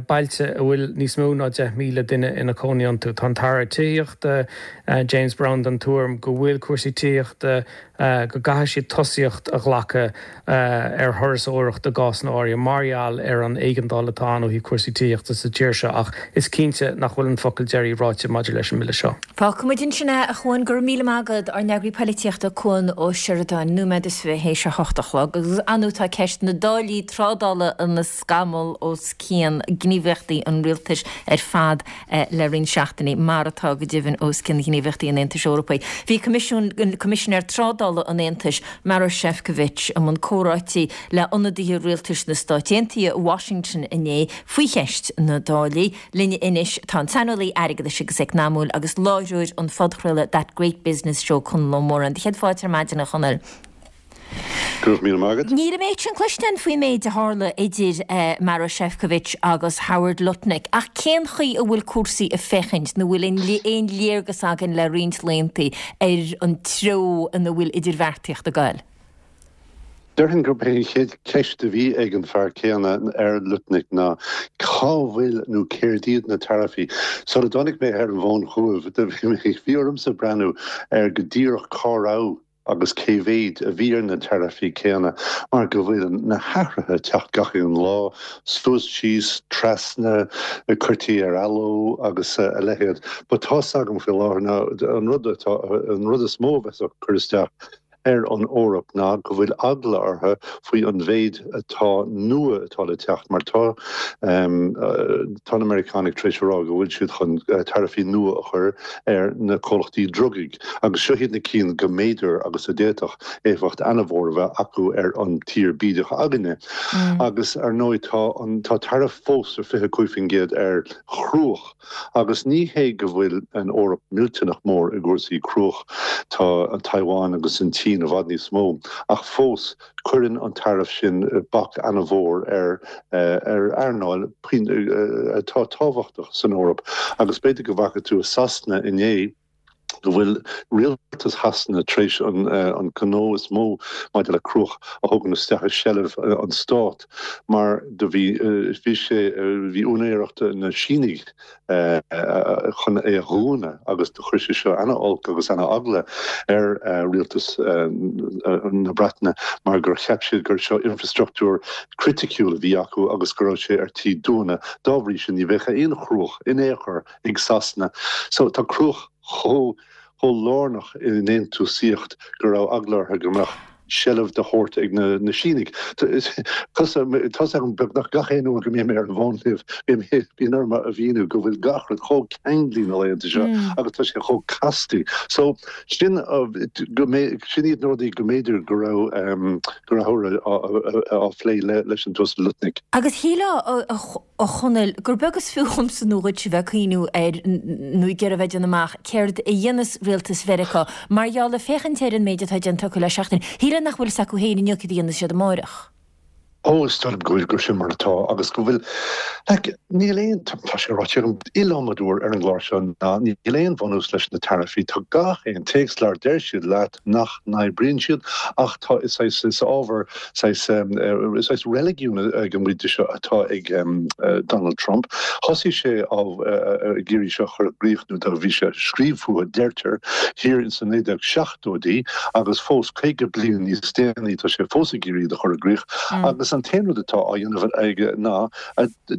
bailte a bhfuil níos mó ná 10,000 duine ina cónaí iontu. Tá an tAire Tithíochta, James Browne den tuairim go bhfuil cúrsaí tithíochta, go gcaithfidh siad tosaíocht a ghlacadh ar thurasóireacht i gcásanna áirithe mar gheall ar an éigeandáil atá ann ó thaobh cúrsaí tithíochta sa tír seo ach is cinnte nach bhfuil an focal deiridh ráite maidir leis an mbille seo. Fágfaimid ansin é, a Chuain. Go raibh míle maith agat, ár n-eagraí poilitíochta Cuan Ó Seireadáin. Nóiméad is fiche théis a hocht a chlog. Agus ar ndóigh tá ceist na dtáillí trádála ina scamall os cionn gníomhaíochtaí an rialtais ar fad le roinnt seachtainí, mar atá go deimhin os cionn ghníomhaíochtaí an Aontais Eorpaigh. Bhí Coimisiún, Coimisinéir Trádála an Aontais, Maroš Šefčovič, i mbun comhráití le ionadaithe rialtais na Stáit Aontaithe i Washington inné faoi cheist na dtáillí. Linn anois tá an saineolaí airgeadais agus eacnamúil agus láithreoir an phodchraoladh That Great Business Show, Conall Ó Móráin. Do chéad fáilte ar maidin, a Chonaill. Go raibh míle maith agat. Níl an méid sin cloiste againn faoin méid a tharla idir Maroš Šefčovič agus Howard Lutnick, ach cén chaoi a bhfuil cúrsaí ag féachaint, nó bhfuil aon léargas againn le roinnt laethanta ar an treo ina bhfuil idirbheartaíocht ag goil? Déarfainn gurb é an chéad cheist a bhí ag an fear céanna ar Lutnick ná cá bhfuil nó céard iad na taraifí? Sula dtáinig mé ar an bhfón chugaibh, bhí ormsa breathnú ar go díreach cá raibh agus cé mhéid a bhí ar na taraifí céanna mar go bhfuil na hathruithe ag teacht gach aon lá, suas, síos, trasna, cuirtí ar athló agus a leithéid. But tá's agam faoi láthair ná an rud atá, an rud is mó a bheas ag cur isteach ar an Eoraip ná go bhfuil eagla orthu faoi an mhéid atá nua atá le teacht mar tá tá na Meiriceánaigh tar éis a rá go bhfuil siad chun taraifí nua a chur ar na comhlachtaí drugaí agus seo iad na cinn go mb'fhéidir agus a d'fhéadfadh éifeacht ana-mhór a bheith acu ar an tír bídeach againne. Agus ar ndóigh tá an tá taraif fós ar 25% ar chruach. Agus ní hé go bhfuil an Eoraip millteanach mór i gcúrsaí cruach, tá an Taiwan agus an tSín i bhfad níos mó, ach fós cuireann an taraif sin bac ana-mhór ar ar earnáil atá tábhachtach san Eoraip. Agus b'fhéidir go bhfaca tú i Sasana inné, go bhfuil rialtas Shasana tar éis an gnó is mó maidir le cruach a thógaint isteach i seilbh an stát mar do bhí bhí sé bhí úinéireacht na Sínigh chun é a dhúnadh agus do chuir sé seo ana-olc agus ana-eagla ar rialtas na Breataine mar gur cheap siad gur seo infrastruchtúr criticiúil a bhí acu agus go raibh sé ar tí dúnadh. Dá bhrí sin ní bheadh aon chruach in aon chor ag Sasana. So tá cruach chomh chomh lárnach i ndéantúsaíocht go raibh eagla orthu go mbeadh. seilbh de shórt ag na Sínigh. Tá's agam beagnach gach aon uair go mbím ar an bhfón libh, bíonn orm a mhíniú go bhfuil gach rud chomh ceanglaí na laethanta seo agus tá sé chomh casta. So sin go sin iad na rudaí go mb'fhéidir go raibh go raibh á phlé leis an tUasal Lutnick. Agus shílfeá a Chonaill, gur beag is fiú dhomsa nó dhuitse bheith ag cuimhniú air nó ag iarraidh bheith ag déanamh amach céard a dhéanfas rialtas Mheiriceá mar gheall le féachaint ar an méid atá déanta acu le seachtain. Shílfeá nach bhfuil fhios acu féin inniu céard a dhéanfas siad amáireach. Ó, is dóigh liom go bhfuil, gur sin mar atá agus go bhfuil, like, níl aon, tá sé ráite agam iliomad uair ar an gclár seo ná níl aon bhunús leis na taraifí, tá gach aon téacsleabhar, deir siad leat nach n-oibríonn siad ach tá, is saghas, is ábhar saghas, is saghas reiligiún ag an gcuid de seo atá ag Donald Trump. Thosaigh sé á, ag iarraidh seo a chur i gcrích nó do bhí sé ag scríobh fúthu, deirtear, thiar insa 1970. 70idí agus fós 50 bliain níos déanaí tá sé fós ag iarraidh iad a chur i gcrích agus an t-aon rud atá á dhéanamh aige ná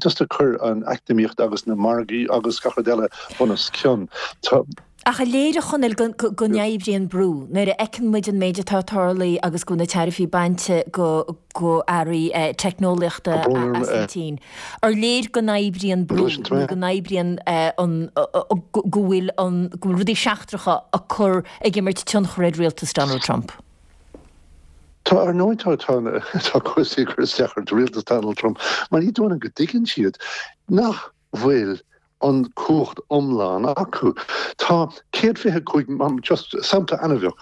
just ag cur an eacnamaíocht agus na margaí agus gach rud eile bunoscionn. Tá. Ach an léir, a Chonaill, go n-oibríonn brú nuair a fheiceann muid an méid atá ag tarlú agus go bhfuil na taraifí bainte go go earraí teicneolaíochta as an tSín. Ar léir go n-oibríonn brú nó go n-oibríonn an, go bhfuil an, go bhfuil rudaí seachtracha ag cur, ag imirt tionchar ar rialtas Donald Trump? Tá, ar ndóigh tá, tá, tá cúrsaí ag cur isteach ar rialtas Donald Trump mar ní dóigh liom go dtuigeann siad nach bhfuil an cumhacht iomlán acu. Tá 125, just sampla an-bheag,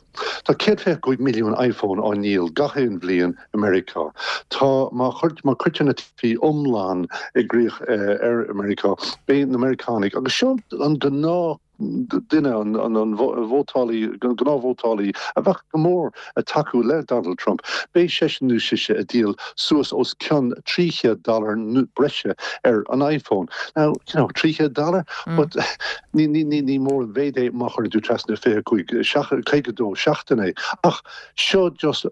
tá 125 milliún iPhone á ndíol gach aon bhliain i Meiriceá. Tá, má má cuirtear na taraifí iomlán i gcrích ar Meiriceá, beidh na Meiriceánaigh, agus seo an gnáth duine, an vótálaí, an gnáthvótálaí a bheadh go mór ag tacú le Donald Trump, beidh seisean nó sise ag díol suas os cionn 300 dollar breise ar an iPhone. Now, you know, 300 dollar? But ní, ní, ní, ní mór an mhéid é má chuireann tú trasna 25, 52 seachtain é. Ach seo just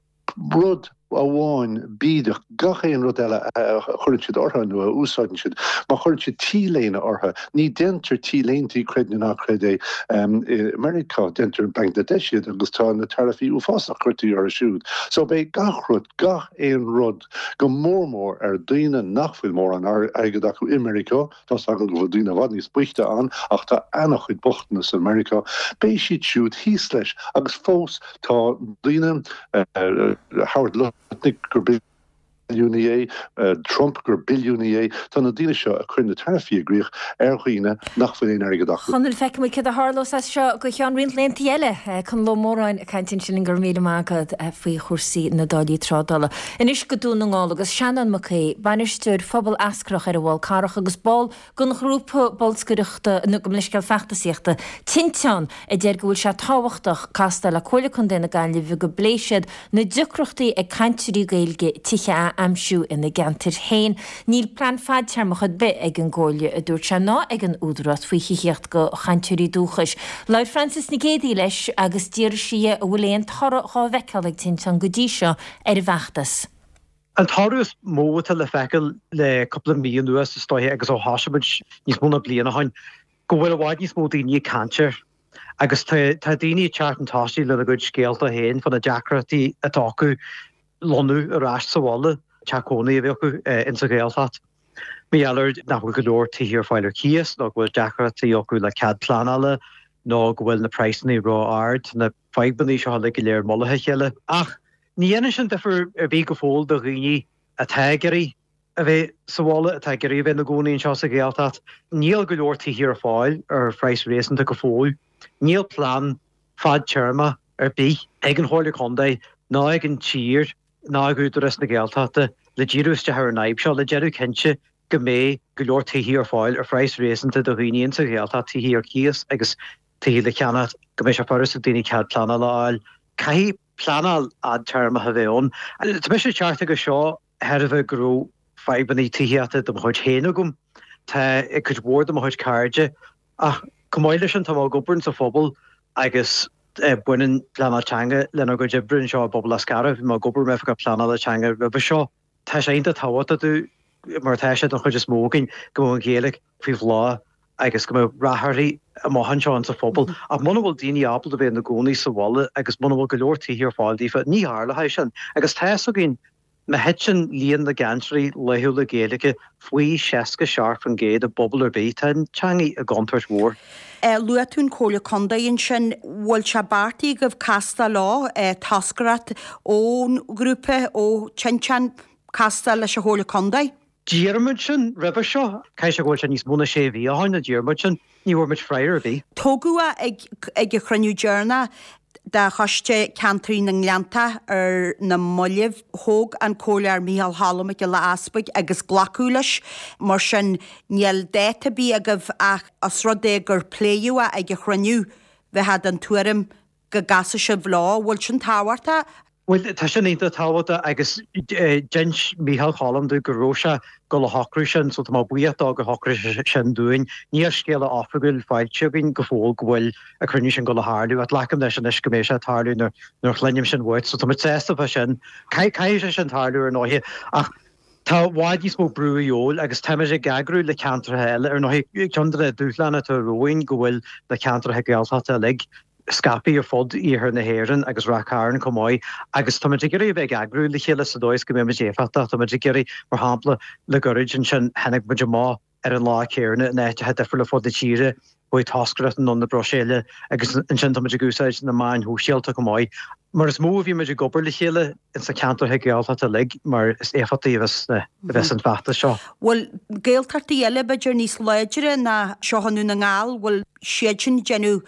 rud amháin bídeach, gach aon rud eile a chuireann siad orthu nó a úsáideann siad, má chuireann siad T-léine orthu, ní déantar T-léintí, creid nó ná creid é, i Meiriceá, déantar i Bangladesh iad agus tá na taraifí uafásach curtha orthu siúd. So beidh gach rud, gach aon rud, go mór mór ar daoine nach bhfuil mórán airgead acu i Meiriceá, Tá's agam go bhfuil daoine i bhfad níos boichte ann ach tá ana-chuid bochtanas i Meiriceá. Beidh siad siúd thíos leis agus fós tá daoine, Howard Lutnick gur billiúnaí é, Trump gur billiúnaí é, tá na daoine seo ag cur na taraifí i gcrích ar dhaoine nach bhfuil aon airgead acu. Chonaill, feicfidh muid céard a tharlós as seo go ceann roinnt laethanta eile. Conall Ó Móráin ag caint ansin, go raibh míle maith agat faoi chúrsaí na dtáillí trádála. Anois go Dún na nGall agus Seanán Mac Aoidh, bainisteoir phobal Eascarrach ar an bhFál Carrach agus ball den ghrúpa bolscaireachta, nó gabh mo leithscéal feachtasaíochta, Tinteán, a deir go bhfuil sé tábhachtach castáil le Comhairle Contae na Gaillimhe go bpléifidh siad na deacrachtaí ag cainteoirí Gaeilge tithe a aimsiú ina gceantair féin. Níl plean fadtéarmach ar bith ag an gComhairle, a dúirt sé, ná ag an Údarás faoi thithíocht do chainteoirí dúchais. Labhair Frances Nic Géadaigh leis agus d'fhiafraigh sí dhe an bhfuil aon toradh dhá bhfeiceáil ag Tinteán go dtí seo ar an bhfeachtas. An toradh is mó atá le feiceáil le cúpla mí anuas, is dóiche, agus ó thosaigh muid níos mó ná bliain ó shin, go bhfuil i bhfad níos mó daoine ag caint air. Agus tá daoine ag teacht chun tosaigh lena gcuid scéalta féin fá na deacrachtaí atá acu lonnú ar ais sa bhaile, teach cónaí a bheith acu insa Ghaeltacht. Mar gheall ar nach bhfuil go leor tithe ar fáil ar cíos nó go bhfuil deacrachtaí acu le cead pleanála nó go bhfuil na praghsanna ró-ard, na fadhbanna seo uilig go léir i mullach a chéile. Ach Ní dhéanann sin difear ar bith go fóill do dhaoine atá ag iarraidh a bheith sa bhaile, atá ag iarraidh a bheith ina gcónaí anseo sa Ghaeltacht. Níl go leor tithe ar fáil ar phraghas réasúnta go fóill. Níl plean fadtéarmach ar bith ag an Chomhairle Contae ná ag an tír ná ag Údarás na Gaeltachta le díriú isteach ar an fhadhb seo, le déanamh cinnte go mbeidh go leor tithe ar fáil ar phraghas réasúnta do dhaoine insa Ghaeltacht, tithe ar cíos agus tithe le ceannacht, go mbeidh sé furast ag daoine cead pleanála a fháil. Caithfidh pleanáil fhadtéarmach a bheith ann. Tá mise ag teacht chuige seo de thairbhe go raibh fadhbanna tithíochta de mo chuid féin agam. Tá ag cuid mhór de mo chuid cairde. Ach chomh maith leis sin, tá mé ag obair insa phobal agus baineann pleanáil teanga lenár gcuid oibre anseo i bPobal Eascarrach. Bhí mé ag obair mar oifigeach pleanála teanga roimhe seo. Tá sé iontach tábhachtach dúinn, mar atá sé don chuid is mó againn, go mbeadh an Ghaeilge faoi bhláth. agus go mbeadh rath uirthi amach anseo insa phobal. Ach muna bhfuil daoine ábalta a bheith ina gcónaí sa bhaile agus muna bhfuil go leor tithe ar fáil daofa, ní tharlóidh sin. Agus tá fhios againn, má thiteann líon na gcainteoirí laethúla Gaeilge faoi 67% i bpobal ar bith, tá an teanga i gcontúirt mhór. Luaigh tú an Chomhairle Contae ansin, bhfuil sé beartaithe agaibh castáil leo, toscaireacht ón ghrúpa, ó Tinteán, castáil leis an Chomhairle Contae? D'iarr muid sin roimhe seo. Caithfidh sé go bhfuil sé níos mó ná sé mhí ó shoin a d'iarr muid sin. Ní bhfuair muid freagra ar bith. Tógadh é ag ag an chruinniú deireanach de Choiste Ceantair na nGleanntach ar na mallaibh. Thóg an Comhairleoir Micheál Cholm Mac Giolla Easpaig agus glacadh leis. Mar sin, níl dáta ar bith agaibh ach os rud é gur pléadh é ag an chruinniú, bheifeá den tuairim go gcasfadh sibh leo. Bhfuil sin tábhachtach? Bhuel, tá sin iontach tábhachtach agus d'inis Micheál Cholm dúinn go raibh sé ag dul a shocrú sin so tá mé buíoch dó gur shocraigh sé sin dúinn. Níl scéala oifigiúil faighte againn go fóill go bhfuil an cruinniú sin ag dul a tharlú ach glacaim leis anois go mbeidh sé ag tarlú nuair a chluinim sin uait so tá muid sásta fá sin. Caithfidh sé sin tarlú ar ndóighe ach tá i bhfad níos mó brú a dhíobháil agus táimid ag eagrú le ceantracha eile ar ndóighe. Ceann de na dúshláin atá romhainn go bhfuil na ceantracha Gaeltachta uilig scaipthe ar fud iarthar na hÉireann agus Ráth Cairn chomh maith agus táimid ag iarraidh a bheith ag eagrú le chéile sa dóigh is go mbeidh muid éifeachtach. Táimid ag iarraidh, mar shampla, le gairid ansin tháinig muid amach ar an lá céanna in áiteacha difriúla fud na tíre, chuaigh toscaireacht anonn na Bruiséile agus ansin táimid ag úsáid na meáin shóisialta chomh maith. Mar is mó a bhímid ag obair le chéile ins na ceantracha Gaeltachta uilig mar is éifeachtaí a bheas an feachtas seo. Bhfuil Gaeltachtaí eile b'fhéidir níos láidre ná seo i nDún na nGall, bhfuil siad sin ag déanamh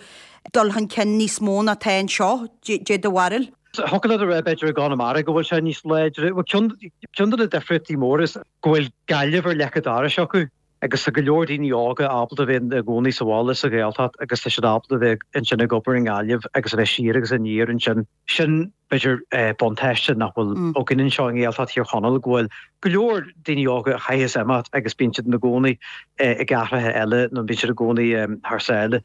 dul chun cinn níos mó ná atá anseo, dé do bharúil? Thiocfadh leat a rá b'fhéidir i gConamara go bhfuil sé níos láidre. Bhuel ceann ceann de na difríochtaí móra is go bhfuil Gaillimh ar leic an dorais acu agus tá go leor daoine óga ábalta a bheith ina gcónaí sa bhaile sa Ghaeltacht agus tá siad ábalta a bheith ansin ag obair i nGaillimh agus a bheith siar agus aniar ansin. Sin b'fhéidir buntáiste nach bhfuil againn anseo i nGaeltacht Thír Chonaill go bhfuil go leor daoine óga a chaithfeas imeacht agus bíonn siad ina gcónaí i gcathracha eile nó bíonn siad i gcónaí thar sáile.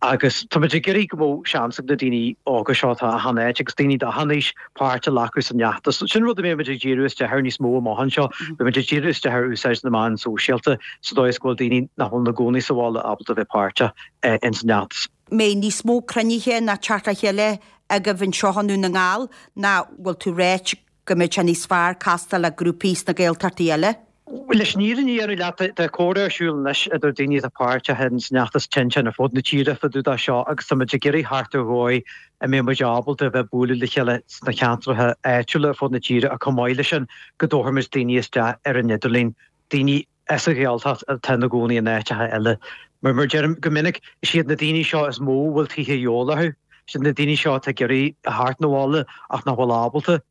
Agus táimid ag iarraidh go mbeadh seans ag na daoine óga seo atá achan áit agus daoine d'achan aois páirt a ghlacadh san fheachtas. Sin rud a mbeidh muid ag díriú isteach air níos mó amach anseo. Beidh muid ag díriú isteach ar úsáid na meán sóisialta sa dóigh is go bhfuil daoine nach bhfuil ina gcónaí sa bhaile ábalta a bheith páirteach ins an fheachtas. mbeidh níos mó cruinnithe ná teacht le chéile agaibh anseo i nDún na nGall nó bhfuil tú ráit go mbeadh sé níos fearr castáil le grúpaí sna Gaeltachtaí eile? Leis an fhírinne a dhéanamh leat, tá comhrá ar siúl anois idir daoine atá páirteach ins an fheachtas Tinteán ar fud na tíre fá dtaobh de seo agus tá muid ag iarraidh theacht ar dhóigh a mbeidh muid ábalta a bheith ag bualadh le chéile sna ceantracha áitiúla ar fud na tíre ach chomh maith leis sin go dtabharfaimid daoine isteach ar an idirlíon, daoine as an Ghaeltacht atá ina gcónaí in áiteacha eile. Mar mar deirim go minic, is iad na daoine seo is mó a bhfuil tithe a dhíobháil orthu. Is iad na daoine seo atá ag iarraidh a theacht 'na bhaile ach nach bhfuil ábalta.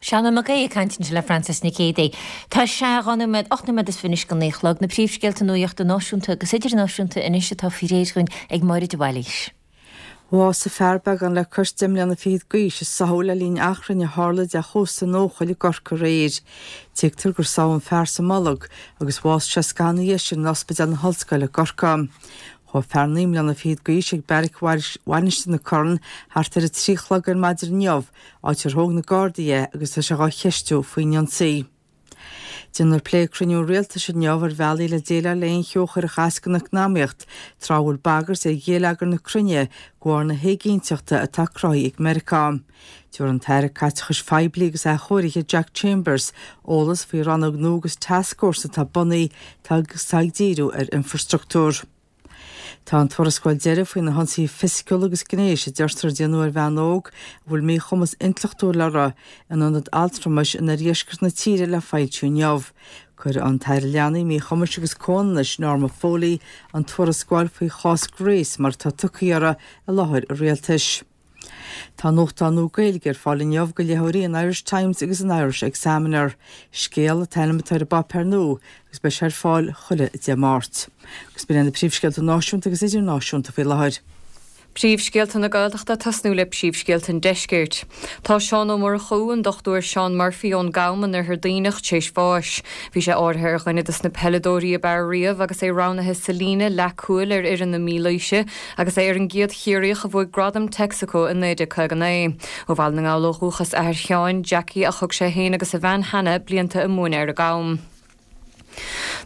Seán Ó Mac Aodha ag caint ansin le Frances Nic Géadaigh. Tá sé dhá nóiméad, 8 nóiméad is 20 anois go naoi a chlog. Na príomhscéalta nuachta náisiúnta agus idirnáisiúnta anois atá faoi réir dhúinn ag Máire de Bhailís. Bhásaigh fear beagán le cois deich mbliana fichead d'aois i sáthadh le linn achrainn a tharla de chósta an Eochaill i gCorcaigh aréir. Tuigtear gur sádh an fear sa mbolg agus bhásaigh sé scaitheamh ina dhiaidh sin in Ospidéal na hOllscoile i gCorcaigh. Chuaigh fear 9 mbliana fichead d'aois ag beairic Mhainistir na Corann thart ar a 3 a chlog ar maidin inniu, áit ar thóg na Gardaí é agus tá sé dhá cheistiú faoin ionsaí. Déanfar plé ag cruinniú an Rialtais inniu ar bhealaí le déileáil le aon cheo a chuirfeadh as don eacnamaíocht tráth a bhfuil bagairt ar ghéilleagar na cruinne de bharr na héiginnteachta atá cruthaithe ag Meiriceá. Tabharfaidh an tAire Caiteachais Phoiblí agus Athchóirithe Jack Chambers eolas faoi rannóg nua agus tascfhórsa atá bunaithe agus atá ag díriú ar infrastruchtúr. Tá an tuarascáil deiridh faoi na hionsaithe fisiciúla agus gnéis a deirtear a déanadh ar bhean óg a bhfuil míchumas intleachtúil uirthi in ionad altramais in oirdheisceart na tíre le foilsiú inniu. Cuirfidh an tAire Leanaí, Míchumais agus Comhionannais, Norma Foley, an tuarascáil faoi chás Grace mar atá tugtha uirthi i láthair an rialtais. Tá nuachtán nua Gaeilge ar fáil inniu do léitheoirí an Irish Times agus an Irish Examiner. Scéal an t-ainm atá ar an bpáipéar nua agus beidh sé ar fáil chuile Dé Máirt. Agus b'in iad na príomhscéalta náisiúnta agus idirnáisiúnta faoi láthair. Príomhscéalta na Gaeltachta ag tosnú le príomhscéalta an Deiscirt. Tá Seán Ó Murchú, an Dr Seán Murphy ón gCam in Oirthear Duibhneach tar éis bháis. Bhí sé áirithe ar dhuine dos na peileadóirí ab fhearr riamh agus é roghnaithe sa líne leathcúil ar fhoireann na Mílaoise agus é ar an gcéad Chiarraíoch a bhuaigh gradam Texaco i 1959. Ó Bhaile na nGall ó dhúchas athair Sheáin, Jackie, ach thug sé féin agus a bhean Hannah blianta ag múineadh ar an gCam.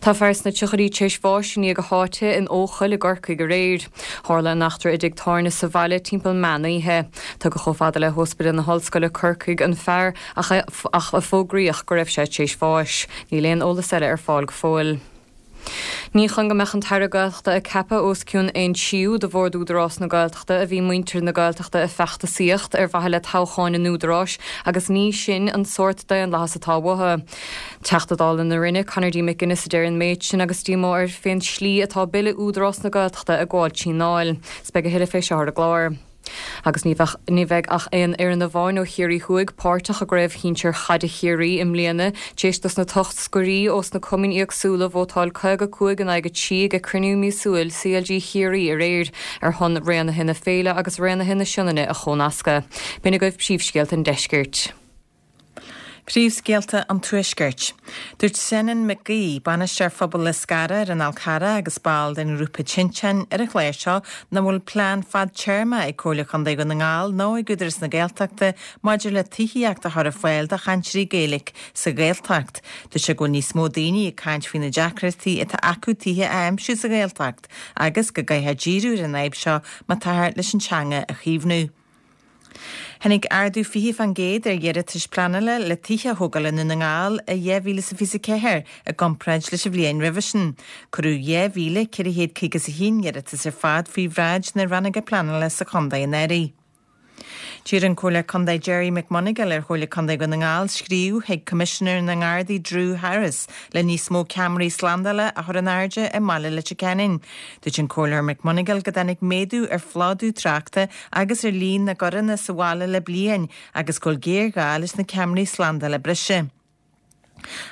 Tá fear sna tríochaidí tar éis bháis i ndiaidh a sháite in Eochaill i gCorcaigh aréir. Tharla an eachtra i dtigh tábhairne sa bhaile timpeall meán oíche. Tugadh chomh fada le hOspidéal na hOllscoile Corcaigh an fear ach a fógraíodh go raibh sé tar éis bháis. Níl aon eolas eile ar fáil go fóill. Ní chun go mbeadh an tAire Gaeltachta a ceapadh os cionn aon tríú de Bhord Údarás na Gaeltachta a bhí muintir na Gaeltachta ag feachtasaíocht ar mhaithe le toghcháin an Údaráis agus ní sin an sórt daonlathas atá uathu. Teachta Dála na Rinne, Conor D. McGuinness a deir an méid sin agus díomá air fén slí atá Bille Údarás na Gaeltachta ag gabháil trí an nDáil. 'S beidh a thuilleadh fé seo ar an gclár. Agus ní bheadh, ní bheidh ach aon fhoireann amháin ó Chiarraí Thuaidh páirteach i gCraobh Shinsir Chaide Chiarraí i mbliana, tar éis dos na toscairí ós na cumainn éagsúla vótáil 55 in aghaidh 3 ag cruinniú míosúil CLG Chiarraí aréir ar shon Raonaithe na Féile agus Raonaithe na Sionainne a chónascadh. B'in agaibh príomhscéalta an Deiscirt. Príomhscéalta an Tuaiscirt. Dúirt Senan Mac Aoidh, Bainisteoir Phobal Lios Gara ar an Fhál Carrach agus ball den ghrúpa Tinteán ar an chlár seo nach bhfuil plean fadtéarma ag Comhairle Contae Dhún na nGall nó ag Údarás na Gaeltachta maidir le tithíocht a chur ar fáil do chainteoirí Gaeilge sa Ghaeltacht. Dúirt sé go bhfuil níos mó daoine ag caint faoi na deacrachtaí atá acu tithe a aimsiú sa Ghaeltacht agus go gcaithfear díriú ar an fhadhb seo má táthar leis an teanga a chaomhnú. Tháinig ardú 20% ar iarratais pleanála le tithe a thógáil i nDún na nGall i 2024 i gcomparáid leis an bhliain roimhe sin. Cuireadh 2,451 iarratas ar fad faoi bhráid na rannóga pleanála sa chontae anuraidh. D'iarr an Comhairleoir Contae Gerry McMonagall ar Chomhairle Contae Dhún na nGall scríobh chuig Coimisinéir na nGardaí Drew Harris le níos mó ceamaraí slándála a chur in airde i mbaile Leitir Ceanainn. Dúirt an Comhairleoir McMonagall go dtáinig méadú ar phlódú tráchta agus ar líon na gcoireanna sa bhaile le bliain agus go bhfuil géarghá leis na ceamaraí slándála breise.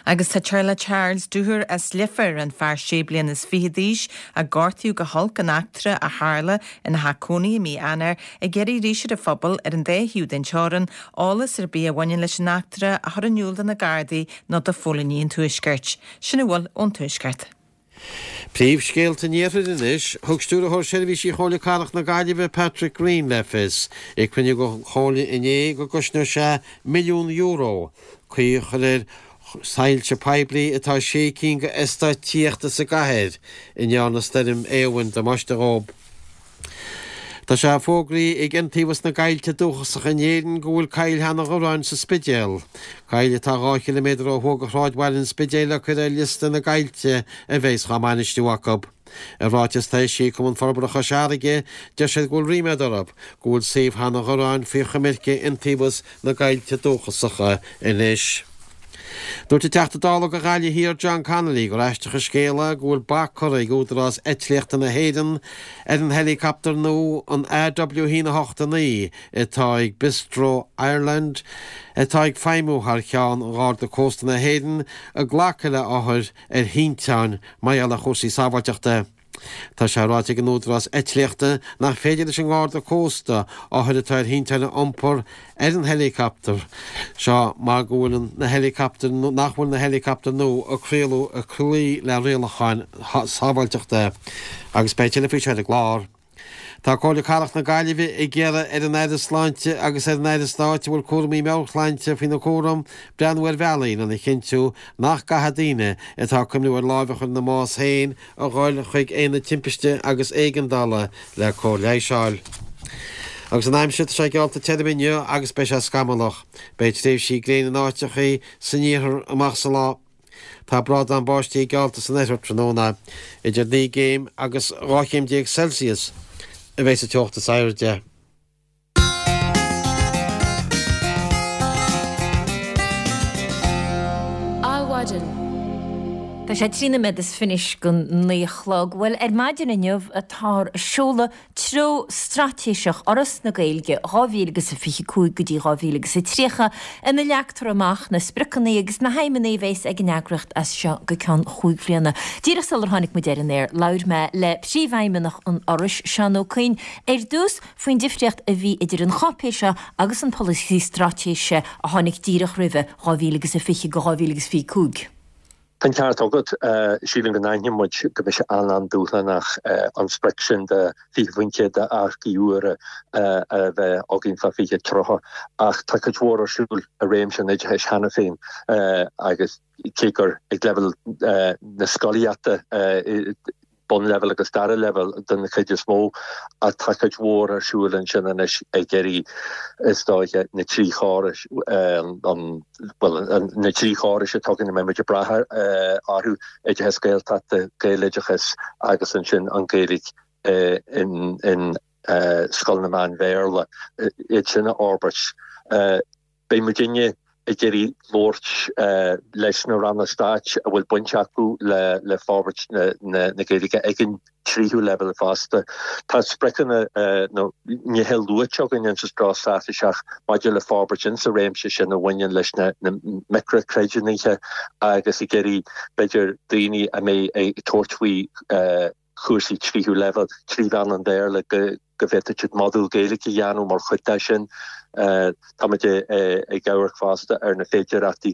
Agus tá teaghlach Charles Dooher as Leifear, an fear sé bliana is fiche d'aois a gortaíodh go holc in eachtra a tharla ina theach cónaithe i mí Eanáir, ag iarraidh arís ar an phobal ar an dá thaobh den teorainn eolas ar bith a bhaineann leis an eachtra a chur in iúl do na Gardaí nó do phóilíní an Tuaiscirt. Sin a bhfuil ón Tuaisceart. Príomhscéalta an Iarthair anois. Thug Stiúrthóir Seirbhísí Chomhairle Cathrach na Gaillimhe, Patrick Greene le fios ag cruinniú den Chomhairle inné go gcosnóidh sé €1 milliún caoi a chur ar soilse poiblí atá sé cinn de eastáit tithíochta sa gcathair a ndearna Stoirm Éowyn damáiste dhóibh. Tá sé fógraithe ag Iontaobhas na gCoillte Dúchasacha in Éirinn go bhfuil Coill Sheanadh Dhubhráin sa Spidéal, coill atá 2 chiliméadar ó thuaidh de shráidbhaile an Spidéil, le cur ar liosta na gcoillte a bheas dhá mbainistiú acu. I ráiteas atá eisithe ag Cumann Forbartha Chois Fharraige, deir siad go bhfuil ríméad orthu go bhfuil suíomh Sheanadh Dhubhráin faoi choimirce Iontaobhas na gCoillte Dúchasacha anois. Dúirt an Teachta Dála do Ghaillimh Thiar John Connolly gur aisteach an scéal é go bhfuil bac curtha ag Údarás Eitlíochta na hÉireann ar an heileacaptar nua an AW 1 8 9 atá ag Bistro Ireland atá ag feidhmiú thar cheann Gharda Cósta na hÉireann ag glacadh le othair ar thinteáin mar gheall ar chúrsaí sábháilteachta. Tá sé ráite ag an Údarás Eitlíochta nach féidir leis an nGarda Cósta othair atá ar thinteáin a iompar ar an heileacaptar seo mar go bhfuil na heileacaptair nach bhfuil na heileacaptair nua a craoladh ag cloí le rialacháin sábháilteachta. Agus beidh tuilleadh faoi seo ar an gclár. Tá Comhairle Cathrach na Gaillimhe ag iarraidh ar an Aire Sláinte agus ar an Aire Stáit a bhfuil cúraimí meabhairshláinte faoina cúram breathnú ar bhealaí lena chinntiú nach gcaithfidh daoine atá ag cuimhniú ar lámh a chur ina mbás féin a dhul chuig aonad timpiste agus éigeandála le cóir leighis a fháil. Agus an aimsir, tá sé geallta tirim inniu agus beidh sé scamallach. Beidh tréimhsí gréine in áiteachaí san iarthar amach sa lá. Tá brádán báistí geallta san oirthear tráthnóna. Idir 9 gcéim agus 12 chéim Celsius a bheidh sa teocht is airde. Adhmhaidin. Tá sé 13 nóiméad is fiche go 9 a chlog. Bhuel, ar maidin inniu atáthar ag seoladh Treo Straitéiseach Fhoras na Gaeilge 2025 go dtí 2030, ina leagtar amach na spriocanna agus na haidhmeanna a bheas ag an eagraíocht as seo go ceann chúig bhliana. Díreach sular tháinig muid ar an aer, labhair mé le Príomhfheidhmeannach an Fhorais, Seán Ó Coinn, ar dtús faoin difríocht a bhí idir an cháipéis seo agus an polasaí straitéise a tháinig díreach roimhe, 2020-2025. Tá an ceart agat. Sílim go n-aithníonn muid go mbeidh sé an-an-dúshlánach an sprioc sin de 20% d'earcaigh úra a bheith againn fá 2030 ach tá cuid mhór ar siúl i réimse an oideachais cheana féin agus cé gur ag leibhéal na scolaíochta bunleibhéal agus dara leibhéal den chuid is mó, ach tá cuid mhór ar siúl ansin anois ag iarraidh, is dóiche, na trí chórais, an, bhuel, na trí chórais atá againn a mbeidh muid ag brath orthu, oideachas Gaeltachta, Gaeloideachas agus ansin an Ghaeilge in, in scoileanna meán-Bhéarla, iad sin a fhorbairt. Beidh muidinne ag iarraidh labhairt leis na ranna stáit a bhfuil baint acu le forbairt na Gaeilge ag an tríú leibhéal fosta. Tá spriocanna nó nithe luaite againn insa treo straitéiseach maidir le forbairt insa réimse sin a bhaineann leis na micreachreidiúnaithe agus ag iarraidh b'fhéidir daoine a mbeidh ag tabhairt faoi chúrsaí tríú leibhéal trí mheán an Bhéarla go bhféadfadh siad modúl Gaeilge a dhéanamh mar chuid de sin. Táimid ag amharc fosta ar na féidearthachtaí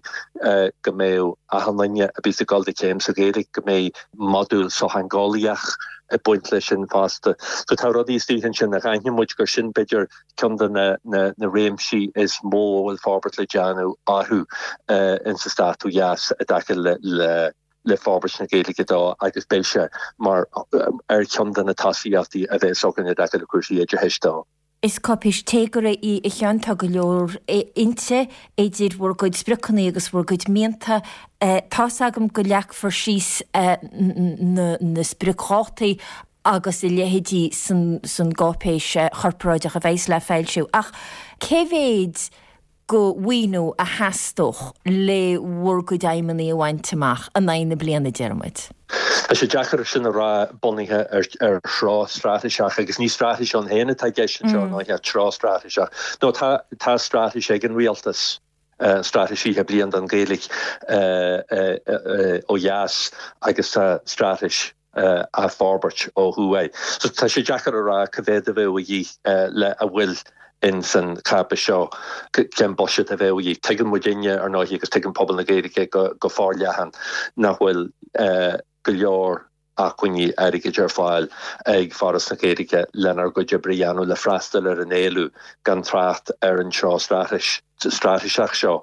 go mbeadh achan duine a bíos ag dul do chéim sa Ghaeilge go mbeidh modúl sochtheangeolaíoch ag baint leis sin fosta. So tá rudaí istigh ansin ach aithníonn muid gur sin b'fhéidir ceann de na réimsí is mó a bhfuil forbairt le déanamh orthu insa stát ó dheas i dtaca le le forbairt na Gaeilge dó agus beidh sé mar ar cheann de na tosaíochtaí a bheas againn i dtaca le cúrsaí oideachais dó. Is cáipéis téagartha í a Sheáin, tá go leor inti, idir bhur gcuid spriocanna agus bhur gcuid mianta. Tá's agam go leagfar síos na spriocdhátaí agus a leithéidí san gcáipéis chorparáideach a bheas le foilsiú ach cé mhéid go mhaoiniú a theastódh le bhur gcuid aidhmeanna a bhaint amach in aghaidh na bliana, deir muid. Tá sé deacair sin a rá bunaithe ar threo straitéiseach agus ní straitéis ann féin atá i gceist anseo ná ach treo straitéiseach. Nó tá tá straitéis ag an rialtas, straitéis 20 bliain don Ghaeilge ó dheas agus tá straitéis á forbairt ó thuaidh. So tá sé deacair a rá cá mhéad a bheadh a dhíth le a bhfuil ins an cháipéis seo, cén buiséad a bheadh a dhíth. Tuigeann muidinne, ar ndóigh, agus tuigeann pobal na Gaeilge go forleathan nach bhfuil go leor acmhainní airgid ar fáil ag Foras na Gaeilge lenár gcuid oibre a dhéanamh le freastal ar an éileamh, gan trácht ar an treo straitéiseach seo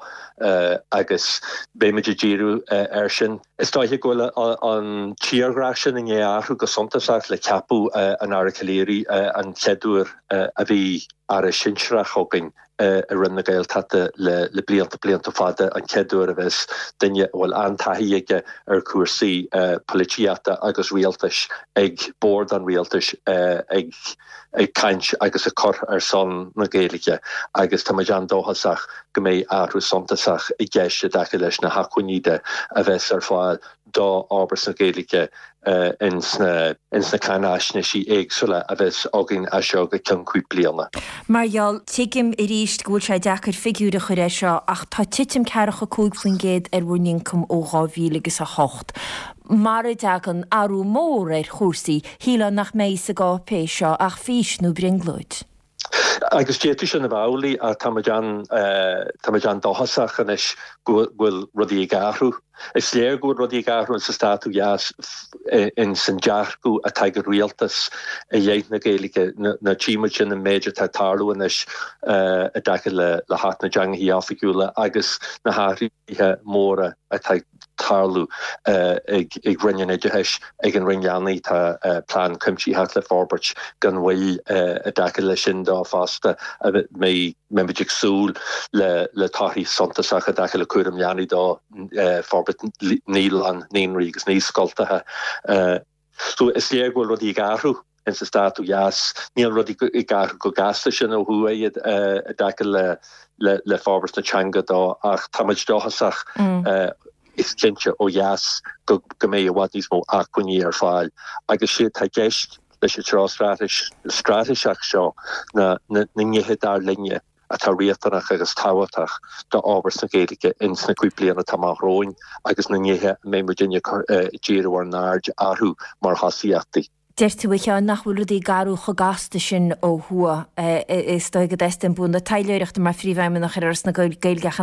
agus beimid ag díriú air sin. Is dóiche go bhfuil an tírdhreach sin i ndiaidh athrú go suntasach le ceapadh an Aire Calleary, an chéad uair a bhí Aire sinsearach againn i Roinn na Gaeltachta le blianta, blianta fada, an chéad uair a bheas duine a bhfuil an-taithí aige ar chúrsaí polaitíochta agus rialtais ag bord an rialtais ag ag caint agus ag cur ar son na Gaeilge agus tá muid an-dóchasach go mbeidh athrú suntasach i gceist i dtaca leis na hacmhainní de a bheas ar fáil do fhorbairt na Gaeilge ins na cáinaisnéisí éagsúla a bheas againn as seo go ceann cúig bliana. Mar gheall, tuigim arís go bhfuil sé deacair figiúir a chur air seo ach tá titim ceathracha 5% ar bhur n-ioncam ó 2000 agus 8. Mara dtagann athrú mór ar chúrsaí, shílfeá nach mbeidh sa gcáipéis seo ach fís nó brionglóid. Agus d'fhéadfadh sin a bheith amhlaidh ach táimid an, táimid an-dóchasach anois go bhfuil rudaí ag athrú. Is léir go bhfuil rudaí ag athrú insa stát ó dheas, ins an dearcadh atá ag an rialtas i leith na Gaeilge. Nó tchí muid sin an méid atá ag tarlú anois i dtaca le hAcht na dTeangacha Oifigiúla agus na hathruithe móra atá ag tarlú ag Roinn an Oideachais, ag an Roinn Leanaí. Tá plean cuimsitheach le forbairt gan mhoill i dtaca leis sin dó fosta a mbeidh muid ag súil le torthaí suntasacha i dtaca le cúram leanaí dó, forbairt naíolann, naíonraí agus naíscoltacha. So is léir go bhfuil rudaí ag athrú in sa stát ó dheas. Níl rudaí ag athrú chomh gasta sin ó thuaidh i dtaca le forbairt na teanga dó ach tá muid dóchasach is cinnte ó dheas go mbeidh i bhfad níos mó acmhainní ar fáil agus sé atá i gceist leis an treo straitéiseach seo ná na nithe dar linne atá riachtanach agus tábhachtach d'fhorbairt na Gaeilge ins na cúig bliana atá amach romhainn agus na nithe a mbeidh muidinne ag díriú ár n-aird orthu mar thosaíochtaí. Deir tú, a Sheáin, nach bhfuil rudaí ag athrú chomh gasta sin ó thuaidh. Is dóigh go dteastaíonn bua na taidhleoireachta mar phríomhfheidhmeannach ar Fhoras na Gaeilge ach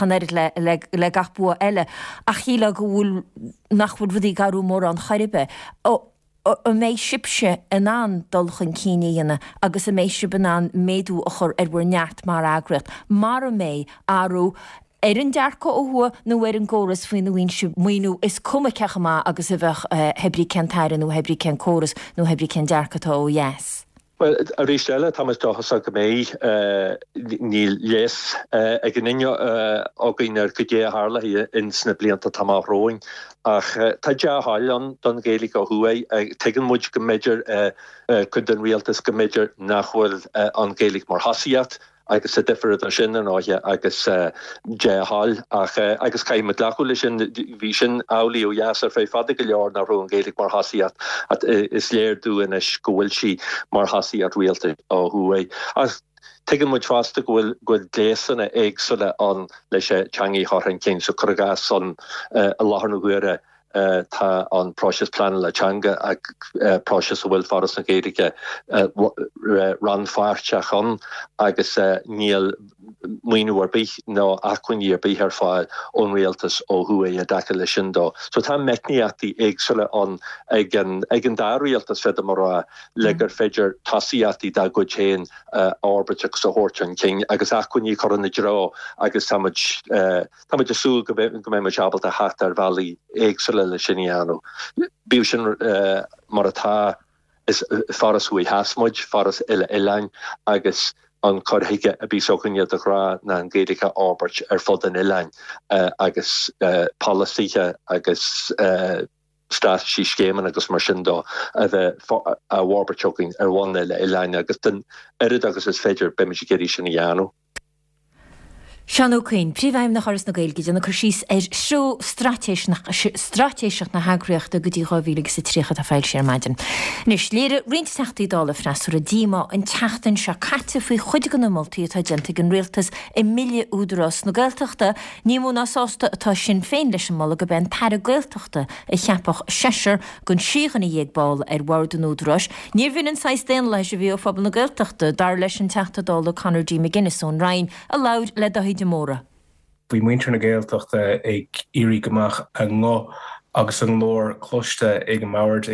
an oiread le gach bua eile. Ach shílfeá go bhfuil, nach bhfuil rudaí ag athrú mórán chor ar bith. An mbeidh sibhse in ann dul chun cinn a dhéanamh agus an mbeidh sibh in ann méadú a chur ar bhur neart mar eagraíocht mara mbeidh athrú ar an dearcadh ó thuaidh nó ar an gcóras faoina bhfaigheann sibh maoiniú, is cuma cé chomh maith agus a bheadh hé brí cén t-aire nó hé brí cén córas nó hé brí cén dearcadh atá ó dheas. Bhuel, arís eile, tá muid dóchasach go mbeidh. Níl leigheas ag aon duine againn ar goidé a tharlóidh ins na blianta atá amach romhainn, ach tá dea-thoil ann don Ghaeilge ó thuaidh. Tuigeann muid go mb'fhéidir, cuid den rialtas, go mb'fhéidir nach bhfuil an Ghaeilge mar thosaíocht, Agus tá difear idir sin, ar ndóighe, agus dea-thoil. Ach, agus caithfidh muid glacadh leis sin, bhí sin amhlaidh ó dheas ar feadh fada go leor nach raibh an Ghaeilge mar thosaíocht. Ach is léir dúinn anois go bhfuil sí mar thosaíocht rialtais ó thuaidh. Ach tuigeann muid fosta go bhfuil, go bhfuil gléasanna éagsúla ann leis an teangaidh a chur chun cinn. So cuir i gcás ann i láthair na huaire, Tá an próiseas pleanála teanga, próiseas a bhfuil Foras na Gaeilge rannpháirteach ann agus níl maoiniú ar bith nó acmhainní ar bith ar fáil ón rialtas ó thuaidh i dtaca leis sin dó. So tá meicníochtaí éagsúla ann ag an dá rialtas, féadaim a rá, le gur féidir tosaíochtaí dá gcuid féin a fhorbairt agus a thabhairt chun cinn agus acmhainní a chur ina dtreo agus tá muid Tá muid ag súil go mbeidh muid ábalta theacht ar bhealaí éagsúla le sin a dhéanamh. Bíodh sin mar atá, is foras thuaidh theas muid, foras uile-oileáin, agus an cur chuige a bíos againne de ghnáth ná an Ghaeilge a fhorbairt ar fud an oileáin agus polasaithe agus straitéisí, scéimeanna agus mar sin dó a bheith á bhforbairt againn ar bhonn uile-oileáin agus den oiread agus is féidir beimid ag iarraidh sin a dhéanamh. Seán Ó Coinn, Príomhfheidhmeannach Fhoras na Gaeilge, ag déanamh cur síos ar threo straitéiseach na heagraíochta go dtí 2030 atá foilsithe ar maidin. Anois, léirigh roinnt Teachtaí Dála freasúra díomá an tseachtain seo caite faoi chuid de na moltaí atá déanta ag an Rialtas i mBille Údarás na Gaeltachta. Ní mó ná sásta atá Sinn Féin leis an moladh gurb é an tAire Gaeltachta a cheapfadh seisear den sé dhuine dhéag ball ar bhord an Údaráis. Níorbh in an saghas daonlathais a bhí ó phobal na Gaeltachta, dar leis an Teachta Dála Conor D. McGuinness ón Rinn, a labhair le Daithí de Mórdha. Bhí muintir na Gaeltachta ag iarraidh go mbeadh a nguth agus a nglór cloiste ag an mbord,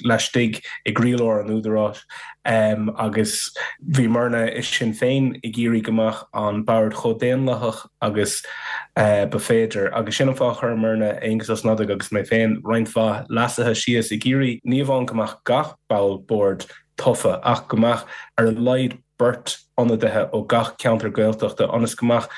laistigh i gcroílár an Údaráis agus bhíomarna i Sinn Féin ag iarraidh go mbeadh an bord chomh daonlathach agus ba féidir. Agus sin an fáth a chuireamarna, Aengus Ó Snodaigh agus mé féin, roinnt mhaith leasuithe síos ag iarraidh ní amháin go mbeadh gach ball boird tofa ach go mbeadh ar a laghad beirt ionadaithe ó gach ceantar Gaeltachta ionas go mbeadh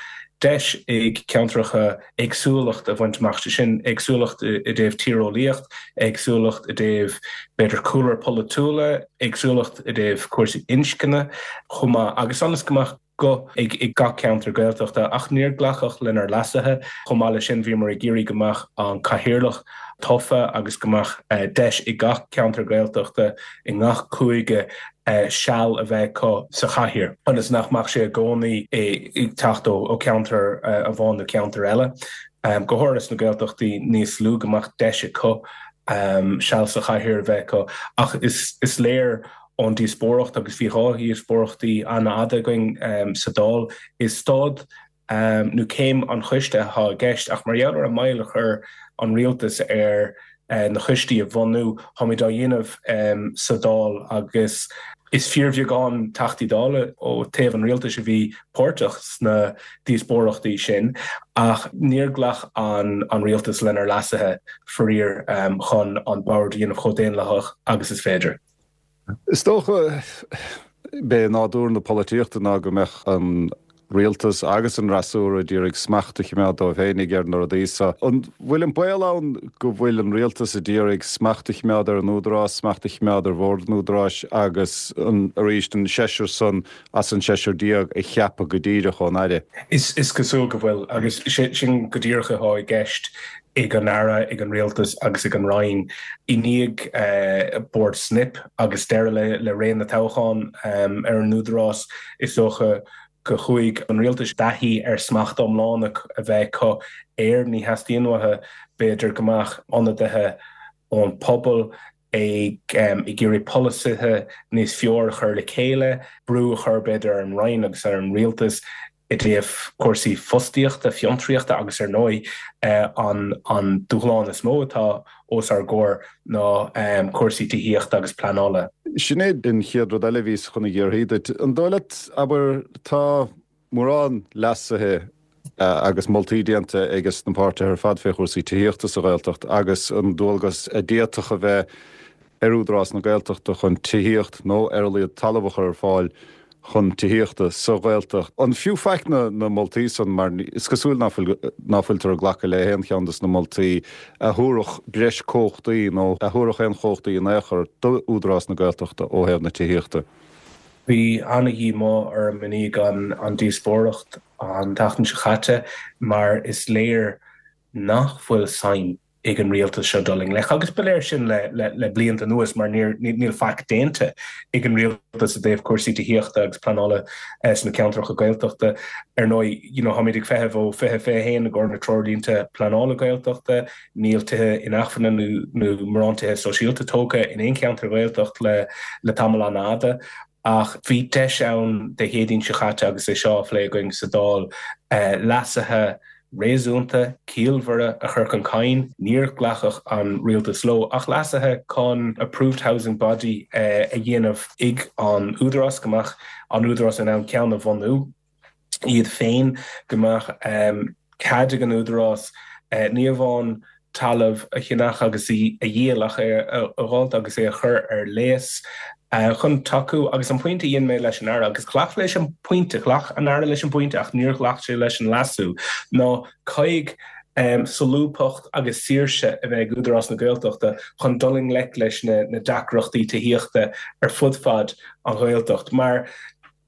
deis ag ceantracha éagsúlacht a bhaint amach, sé sin éagsúlacht i dtaobh tíreolaíocht, éagsúlacht i dtaobh b'fhéidir cúlra polaitiúla, éagsúlacht i dtaobh cúrsaí inscne chomh maith agus ionas go mbeadh guth ag gach ceantar Gaeltachta, ach níor glacadh lenár leasuithe. Chomh maith leis sin, bhíomar ag iarraidh go mbeadh an cathaoirleach tofa agus go mbeadh deis ag gach ceantar Gaeltachta i ngach cúige seal a bheith acu sa chathaoir, ionas nach mbeadh sé i gcónaí ag teacht ó cheantar amháin nó ceantar eile. Go háirithe sna Gaeltachtaí níos lú, go mbeadh deis acu seal sa chathaoir a bheith acu. Ach is léir ón díospóireacht, agus bhí 2 dhíospóireachtaí an-fhada againn sa Dáil, is staid nó céim an choiste atá i gceist, ach mar gheall ar an moill a chuir an rialtas ar na coistí a bhunú, táimid á dhéanamh sa Dáil agus is fíorbheagán Teachtaí Dála ó taobh an rialtais a bhí páirteach sna díospóireachtaí sin, ach níor ghlac an rialtas lenár leasuithe, faraor, chun an bord a dhéanamh chomh daonlathach agus is féidir. Is dócha, b'é nádúr na polaitíochta ná go mbeadh an rialtas agus an fhreasúra ag iarraidh smacht a chimeád dóibh féinig ar na rudaí so. An bhfuil an baol ann go bhfuil an rialtas ag iarraidh smacht a chimeád ar an Údarás, smacht a chimeád ar bhord an Údaráis agus an, arís, an seisear san as an seisear déag a cheapadh go díreach ón Aire? Is cosúil go bhfuil, agus sin go díreach atá i gceist ag an Aire, ag an Rialtas agus ag an Roinn. I ndiaidh Bord Snip agus deireadh le ré na toghchán ar an Údarás, is dócha go chuaigh an Rialtas i dtaithí ar smacht iomlán a bheith acu air. Ní theastaíonn uathu, b'fhéidir, go mbeadh ionadaithe ón pobal. ag ag iarraidh polasaithe níos fearr a chur le chéile, brú a chur b'fhéidir ar an Roinn agus ar an Rialtas i dtaobh cúrsaí fostaíochta, fiontraíochta agus ar ndóigh an an dúshlán is mó atá os ár gcomhair ná cúrsaí tithíochta agus pleanála. Sin é an chéad rud eile a bhíos chun a dh'fhiafraí duit. An dóigh leat, abair, tá mórán leasuithe agus moltaí déanta ages na páirtithe ar fad fé chúrsaí tithíochta sa Ghaeltacht agus an dualgas a d'fhéadfadh a bheith ar Údarás na Gaeltachta chun tithíocht nó ar a laghad talamh a chur ar fáil chun tithíochta sa Ghaeltacht. An fiú faic na moltaí san mar is cosúil ná fuil ná fuiltear ag glacadh le haon cheann des na moltaí a thabharfadh breis cumhachtaí nó a thabharfadh aon chumhachtaí in aon chor d'Údarás na Gaeltachta ó thaobh na tithíochta. Bhí an-dhíomá orm i ndiaidh an díospóireacht an tseachtain seo chaite mar is léir nach bhfuil suim ag an rialtas seo dul i ngleic, agus ba léir sin le blianta anuas mar níl faic déanta ag an rialtas i dtaobh cúrsaí tithíochta agus pleanála sna ceantracha Gaeltachta. Ar ndóigh, you know, táimid ag feitheamh ó 2021 i gcomhair na treoirlínte pleanála Gaeltachta, níl tithe inacmhainne nó mórán tithe sóisialta tógtha in aon cheantar Ghaeltacht le tamall an-fhada. Ach bhí deis ann Dé Céadaoin seo chaite agus é seo á phlé againn sa Dáil, leasuithe réasúnta, ciallmhara a chur chun cinn. Níor ghlacadh an rialtas leo ach leasuithe chun Approved Housing Body a dhéanamh ag an Údarás, go mbeadh an Údarás in ann ceann a bhunú. iad féin, go mbeadh cead ag an Údarás ní amháin talamh a cheannach agus a dhíol ach é a dh'fháilt agus é a chur ar léas chun tacú agus an pointe a dhein mé leis an Aire, agus ghlac leis an bpointe, ghlac an Aire leis an bpointe ach níor ghlac sé leis an leasú, ná caithfidh solúbthacht agus saoirse a bheith ag Údarás na Gaeltachta chun dul i ngleic leis na deacrachtaí tithíochta ar fud fad an Ghaeltacht mar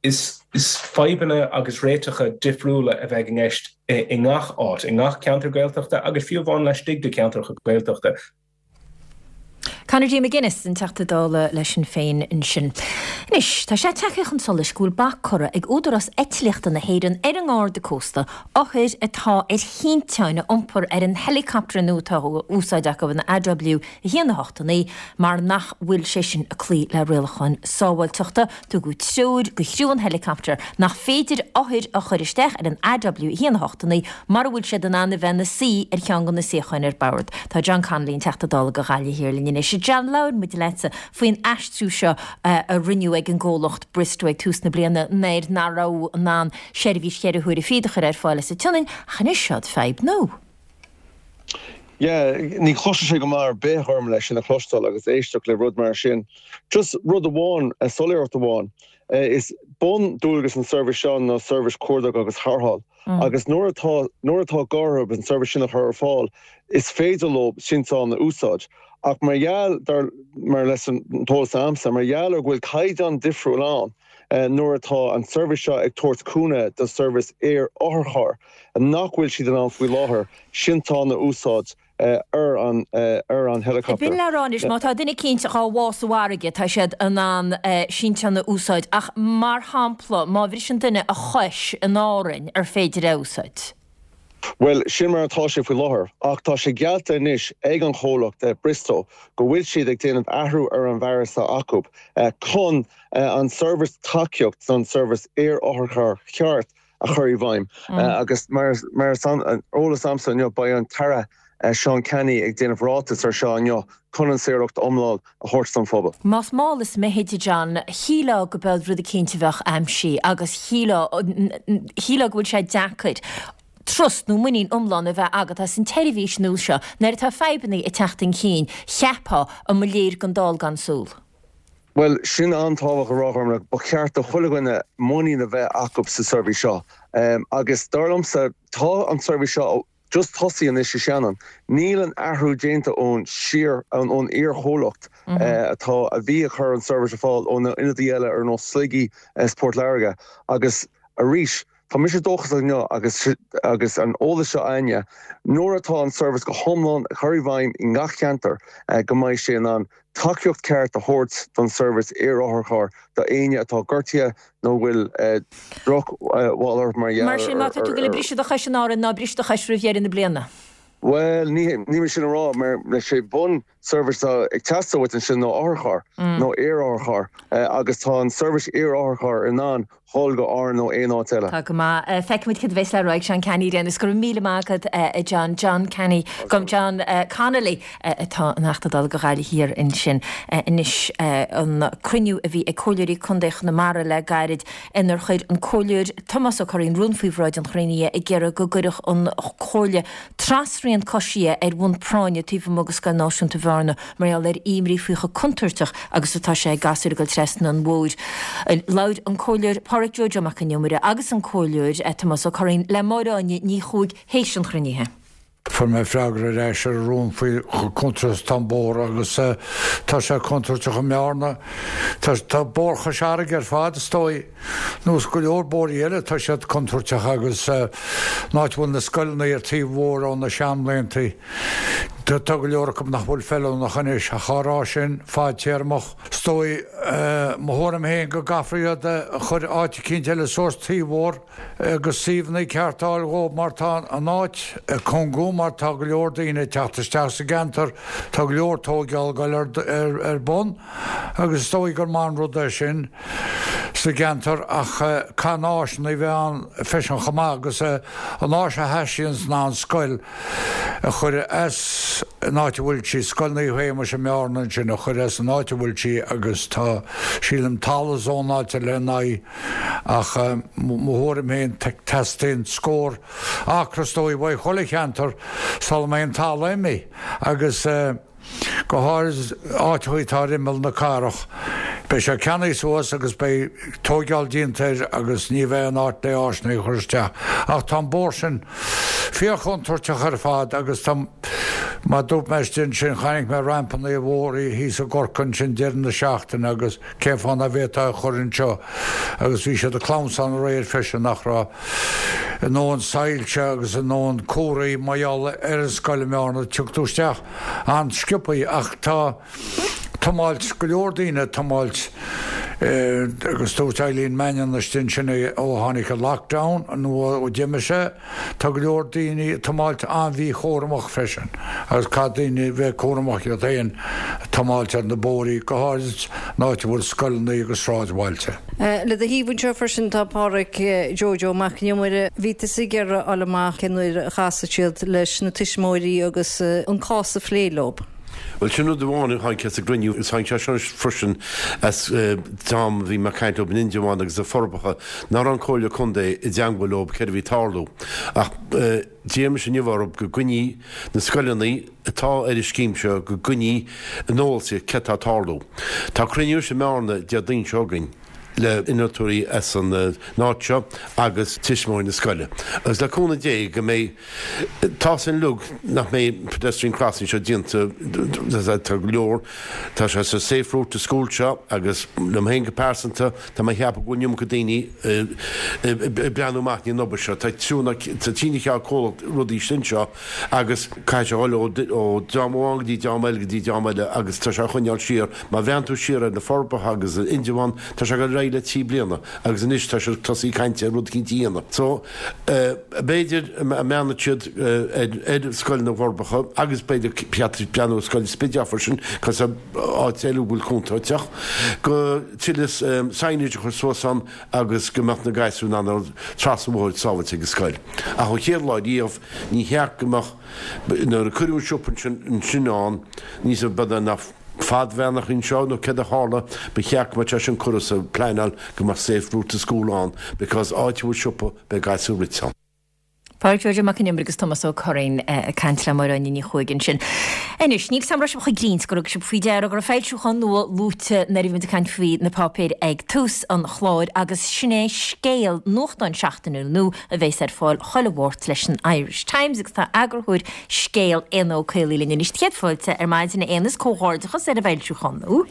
Is fadhbanna agus réiteacha difriúla a bheidh i gceist i ngach áit, i ngach ceantar Gaeltachta agus fiú amháin laistigh de cheantracha Gaeltachta. Conor D. McGuinness, an Teachta Dála le Sinn Féin ansin. Anois, tá sé tagtha chun solais go bhfuil bac curtha ag Údarás Eitlíochta na hÉireann ar an nGarda Cósta othair atá ar thinteáin a iompar ar an helicopter nua atá á úsáid acu, an AW 1 8 9, mar nach bhfuil sé sin ag cloí le rialacháin sábháilteachta. Tugadh treoir do chriú an helicopter nach féidir othair a chur isteach ar an AW 1 8 9 mura bhfuil siad in ann a bheith ina suí ar cheann de na suíocháin ar bord. Tá John Connolly, an Teachta Dála do Ghaillimh Thiar linn anois. John, labhair muid leatsa faoin aistriú seo a rinneadh ag an gcomhlacht Bristow ag tús na bliana nuair nach raibh in ann seirbhís cheithre huaire fichead a chur ar fáil as an tSionainn ach anois seod fadhb nua. Yeah, ní chloiseann sé go maith ar bith Ghormfhlaith sin a chloisteáil agus éisteacht le rud mar sin. Just rud amháin, soiléireacht amháin, is bun-dualgas an seirbhís seo ná seirbhís cuardaigh agus tharrtháil. Agus nuair atá, nuair atá gá orthu an seirbhís sin a chur ar fáil, is féidir leo sinteán a úsáid. Ach mar gheall, dar, mar leis an t-eolas a'msa, mar gheall ar go bhfuil caighdeán difriúil ann nuair atá an seirbhís seo ag tabhairt cúnamh do seirbhís aer-otharchairr, nach bhfuil siad in ann faoi láthair sinteán a úsáid ar an ar an helicopter. B'in le rá anois, má tá duine eicínt dhá bhá sa bhfarraige, tá siad in ann sinteán a úsáid, ach mar shampla, má bhriseann duine a chois in Árainn, ar féidir é a úsáid? Bhuel, sin mar atá sé faoi láthair, ach tá sé geallta anois ag an chomhlacht Bristow go bhfuil siad ag déanamh athrú ar an bhfearas atá acu chun an seirbhís tacaíocht don seirbhís aer-otharchairr cheart a chur i bhfeidhm agus mar is eolas a'msa inniu beidh an tAire Seán Canney ag déanamh ráiteas ar seo inniu chun an soiléireacht iomlán a thabhairt don phobal. Más mall is mithid, a John, shílfeá go beadh rud eicínt a bheadh aimsithe agus shílfeá, shílfeá go bhfuil sé deacair trust nó muinín iomlán a bheith agat as an tseirbhís nua seo nuair atá fadhbannaí ag teacht chun cinn, cheapfá, an mba léir don dall gan súil. Bhuel, sin an-tábhachtach a rá, Ghormfhlaith. Ba cheart do chuile dhuine muinín a bheith acu sa seirbhís seo. Agus dar liomsa, tá an tseirbhís seo just tosaithe anois i Shannon. Níl an athrú déanta ón siar, ón iar-chomhlacht atá, a bhí ag cur an seirbhís ar fáil ó na ionadaí eile ar nós Sligigh is Port Láirge. Agus arís, Tá mise dóchasach inniu agus agus an eolas seo a'inne, nuair atá an seirbhís go hiomlán curtha i bhfeidhm i ngach ceantar go mbeidh sé in ann tacaíocht ceart a thabhairt don seirbhís aer-otharchairr do éinne atá gortaithe nó a bhfuil droch bhail orthu mar gheall Mar sin, má tá tú ag goil ag briseadh do chois in Árainn, ná bris do chois roimh dheireadh na bliana. Bhuel, ní níl mé sin a rá mar is é bun seirbhís atá ag teastáil uait ansin ná otharcharr nó aer-otharcharr agus tá an seirbhís aer-otharcharr in ann dhul go Árainn nó aon áit eile. Tá go maith. Feicfimid cad a bheas le rá ag Seán Canney ar aon nós. Go raibh míle maith agat a John. John Canney, gabh John Connolly atá ina Theachta Dála do Ghaillimh Thiar ansin. Anois an cruinniú a bhí ag Comhairleoirí Contae Chonamara le gairid inar chuir an Comhairleoir Tomás Ó Curraoin rún faoi bhráid an chruinnithe ag iarraidh go gcuirfeadh an Chomhairle trasrian coisithe ar bhonn práinne taobh amuigh de Scoil Náisiúnta Bhearna mar gheall ar imní faoi chomh contúirteach agus atá sé ag gasúir ag dul trasna an bhóthair. Labhair an Comhairleoir Pádhraic Joe Joe Mac an Iomaire agus an Comhairleoir Tomás Ó Curraoin le Máire Áine Ní Chuaig théis an chruinnithe. Fuair mé freagra ar ais ar an rún faoi chomh contúirteach is atá an bóthar agus tá sé contúirteach i mBearna. Tá Bóthar Chois Fharraige ar fad, is dóigh, nós go leor bóithrí eile, tá siad contúirteach agus an áit a bhfuil na scoileanna ar taobh an bhóthair ó na seanbhlianta, tá go leor acu nach bhfuil feiliúnach anois. Ach á rá sin, fadtéarmach, is dóigh, mo thuairim féin, go gcaithfear iad a chur áit eicínt eile suas taobh an bhóthair. agus suíomhanna ceart a fháil dhóibh mar tá an áit ag cúngú mar tá go leor daoine ag teacht isteach sa gceantar, tá go leor tóigeáil ag dul ar bun agus is dóigh gur maith an rud é sin sa gceantar ach caithfidh na áiseanna a bheith ann freisin chomh maith agus an áis a theastaíonns ná an scoil a chur as an áit a bhfuil sí, Scoil Naomh Shéamais i mBearna ansin a chur as an áit a bhfuil sí agus tá sílim talamh zónáilte lena aghaidh. Ach mo thuairim féin, teastaíonn scór acra is dóigh uaidh chuile cheantar sula mbeidh an talamh imithe agus go háirid áiteachaí atá ar imeall na cathrach. Beidh sé ceannaithe suas agus beidh tóigeáil déanta air agus ní bheidh an áit le áiseanna a chur isteach. Ach tá an bóthar sin fíorchontúirteach ar fad agus tá, mar dúirt mé istigh ansin, chonaic mé rampanna ar bhóithrí thíos i gCorcaigh ansin deireadh na seachtaine agus, Cén fáth nach bhféadfá é a chur anseo? Agus bhí siad ag clamhsán aréir freisin nach raibh a ndóthain soilse agus a ndóthain comharthaí mar gheall ar an scoil i mBearna. Tiocfaidh tú isteach an-sciobthaí ach tá tiomáilt, go leor daoine ag tiomáilt agus dúirt Eileen Mannion istigh ansin ó tháinig an lockdown nó ó d'imigh sé, Tá go leor daoine ag tiomáilt an-mhíchúramach freisin agus caithfidh daoine bheith cúramach iad féin ag tiomáilt ar na bóithrí, go háirid an áit a bhfuil scoileanna agus sráidbhailte. Le do thaobh anseo freisin tá Pádhraic Joe Joe Mac an Iomaire. Bhí tusa ag iarraidh a fháil amach cén uair a chasfaidh siad leis na tuismitheoirí agus an cás a phlé leo. Bhuel, sin rud amháin a tháinig as an gcruinniú agus tháinig sé seo freisin as am a bhí mé ag caint leo in Indreabhán agus na Forbacha, nach raibh an Comhairle Contae i dteangmháil leo céard a bhí ag tarlú. Ach d'iarr mise inniu orthu go gcoinní na scoileanna atá ar an scéim seo, go gcoinní ar an eolas iad céard atá ag tarlú. Tá cruinniú anois i mBearna Déardaoin seo chugainn le innealtóirí as an áit seo agus tuismitheoirí na scoile. Agus le cúnamh Dé go mbeidh Tá sin uilig nach mbeidh pedestrian crossing seo déanta, tá go leor, tá sé sa safe route to school seo agus liom féin go pearsanta, tá mé a cheapadh go bhfuil an iomarca daoine ag breathnú amach i ndiaidh an obair seo. Tá trua ná tá tine cheal comhlacht rudaí sin seo agus caithfidh sé a dhul ó dream amháin go dtí dream eile go dtí dream eile agus tá sé á choinneáil siar. Má bhreathnaíonn tú siar ar na Forbacha agus Indreabhán, tá sé ag dul ar aghaidh le 3 bliana agus anois tá siad ag tosaí caint ar rud eicínt a dhéanamh. So, B'fhéidir a mbreathnóidh siad ar Scoil na bhForbacha agus b'fhéidir breathnú ar Scoil an Spidéil freisin, cos áit eile a bhfuil contúirteach, go tuilleadh signage a chur suas ann agus go mbeadh na gasúir in ann dul trasna an bhóthair sábhailte ag an scoil. Ach ón chéad lá riamh, ní cheart go mbeadh, nuair a cuireadh an siopa ansin ann, níos b'fhéidir nach fadbheannach anseo nó céard a tharla, ba cheart go mbeadh sé sin curtha sa pleanáil go mbeadh safe route to school ann because áit a bhfuil siopa beidh gasúir rite ann. Pádraic Joe Joe Mac an Iomaire agus Tomás Ó Curraoin ag caint le Máire Áine Ní Chuaig ansin. Anois, níl 's a'm raibh sibh chomh grinn 's gur thug sibh faoi deara go raibh foilsiúchán nua luaite nuair a bhí muid ag caint faoi na páipéir ag tús an chláir agus sin é Scéal, nuachtán seachtainiúil nua a bheas ar fáil chuile Mháirt leis an Irish Times agus tá eagarthóir Scéal, Éanna Ó Caollaí linn anois. Céad fáilte ar maidin a Éanna is comhghairdeachas ar an bhfoilsiúchán nua.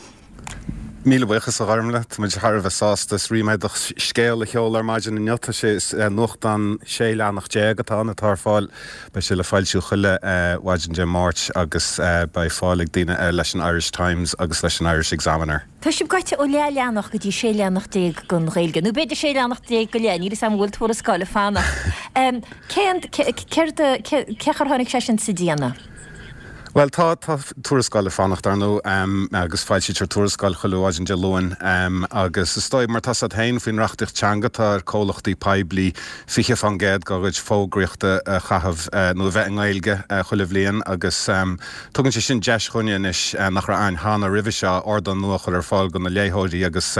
Míle buíochas, a Ghormlaith. Tá muid thar a bheith sásta. Is ríméadach Scéal a sheoladh ar maidin inniu. Tá sé, is nuachtán 16 leathanach atá ann atá ar fáil. Beidh sé le foilsiú chuile mhaidin Dé Máirt agus beidh fáil ag daoine air leis an Irish Times agus leis an Irish Examiner. Tá sibh gaibhte ó leath-leathanach go dtí 16 leathanach don Ghaeilge, nó b'fhéidir 16 leathanach go leith, níl 'fhios a'm an bhfuil tuarascáil ag fanacht. Cén, céard a, cé chaoi ar tháinig sé sin sa déanamh? Bhuel, tá, tá tuarascáil ag fanacht, ar ndóigh, agus foilsítear tuarascáil chuile mhaidin Dé Luain, agus is dóigh, mar tá 's agat féin, faoin reachtaíocht teanga, tá ar comhlachtaí poiblí 20% dá gcuid fógraíochta a chaitheamh, nó a bheith i nGaeilge, chuile bhliain, agus tugann sé sin deis dhúinne anois, nach raibh a'ainn cheana roimhe seo, ardán nua a chur ar fáil do na léitheoirí agus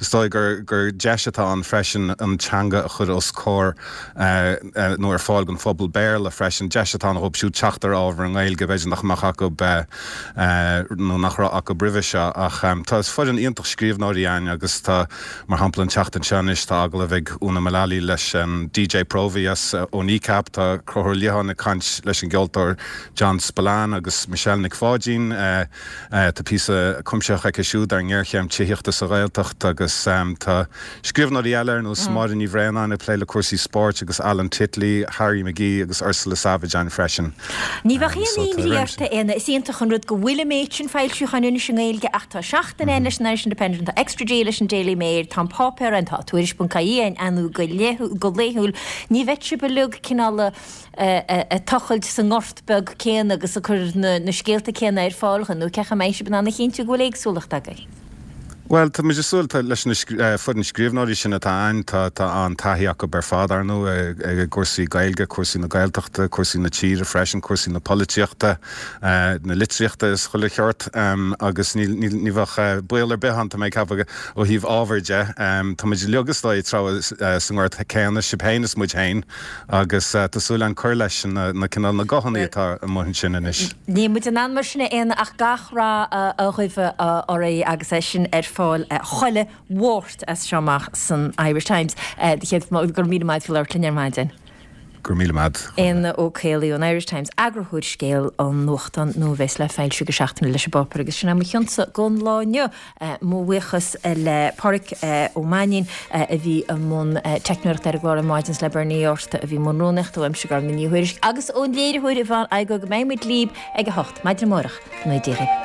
is dóigh gur, gur deis atá ann freisin an teanga a chur os comhair. nó ar fáil don phobal Béarla freisin, deis atá ann dhóibh siúd teacht ar ábhar i nGaeilge, b'fhéidir nach mbeadh acu nó nach raibh acu roimhe seo. Ach tá foireann iontach scríbhneoirí againn agus tá, mar shampla, an tseachtain seo anois tá agallamh ag Úna Mullally leis an DJ Próvaí as ó Kneecap, tá Conchúr Ó Liatháin ag caint leis an gceoltóir John Spillane agus Michelle Nic Pháidín, tá píosa cuimsitheach aici siúd ar an ngéarchéim tithíochta sa Ghaeltacht agus tá. Scríbhneoirí eile ar nós Máire Ní Bhraonáin ag plé le cúrsaí spóirt agus Alan Titley, Harry McGee agus Ursula Savage ann freisin. Ní bheadh aon imní ort, a Éanna. Is iontach an rud go bhfuil an méid sin foilseacháin anois i nGaeilge ach tá Seachtain ann leis an Irish Independent, tá Extra G leis an Daily Mail, tá an páipéar ann, tá Tuairisc.ie ann go laethúil. Ní bheidh sibh uilig cineál ag tochailt sa ngort beag céanna agus ag cur na scéalta céanna ar fáil nó cén chaoi a mbeidh sibh in ann a chinntiú go bhfuil éagsúlacht agaibh? Bhuel, tá muid ag súil, tá, leis na foireann scríbhneoirí sin atá ann, tá, tá an-taithí acu ar fad, ar ndóigh, i gcúrsaí Gaeilge, cúrsaí na Gaeltachta, cúrsaí na tíre freisin, cúrsaí na polaitíochta, na litríochta is chuile sheort agus ní, ní, ní bheadh baol ar bith ann, tá mé ag ceapadh, ó thaobh ábhair de. Tá muid uilig, is dóigh, ag treabhadh sa ngort céanna, sibh féin is muid féin. Agus tá súil againn cur leis na cineál na guthanna atá amuigh ansin anois. Níl muid in ann mar sin a Éanna ach gach rath a ghuí oraibh agus é sin ar fáil chuile Mháirt as seo amach san Irish Times. Do chéad, go raibh míle maith agat faoi labhairt linn ar maidin. Go raibh míle maith. Éanna Ó Caollaí ón Irish Times, eagarthóir Scéal an nuachtán nua a bheas le foilsiú go seachtainiúil leis an bpáipéar agus sin é mo chionsa don lá inniu. Mo bhuíochas le Páraic Ó Mainnín a bhí i mbun teicneoireachta ar an gclár ar maidin is le Bernie Ó Fátharta a bhí i mbun rúnaíochta uaimse Gormfhlaith Ní Thuairisg agus ón léiritheoir Yvonne Igoe go mbeidh muid libh ag a hocht maidin amárach. Go ngnóthaí Dia dhaoibh.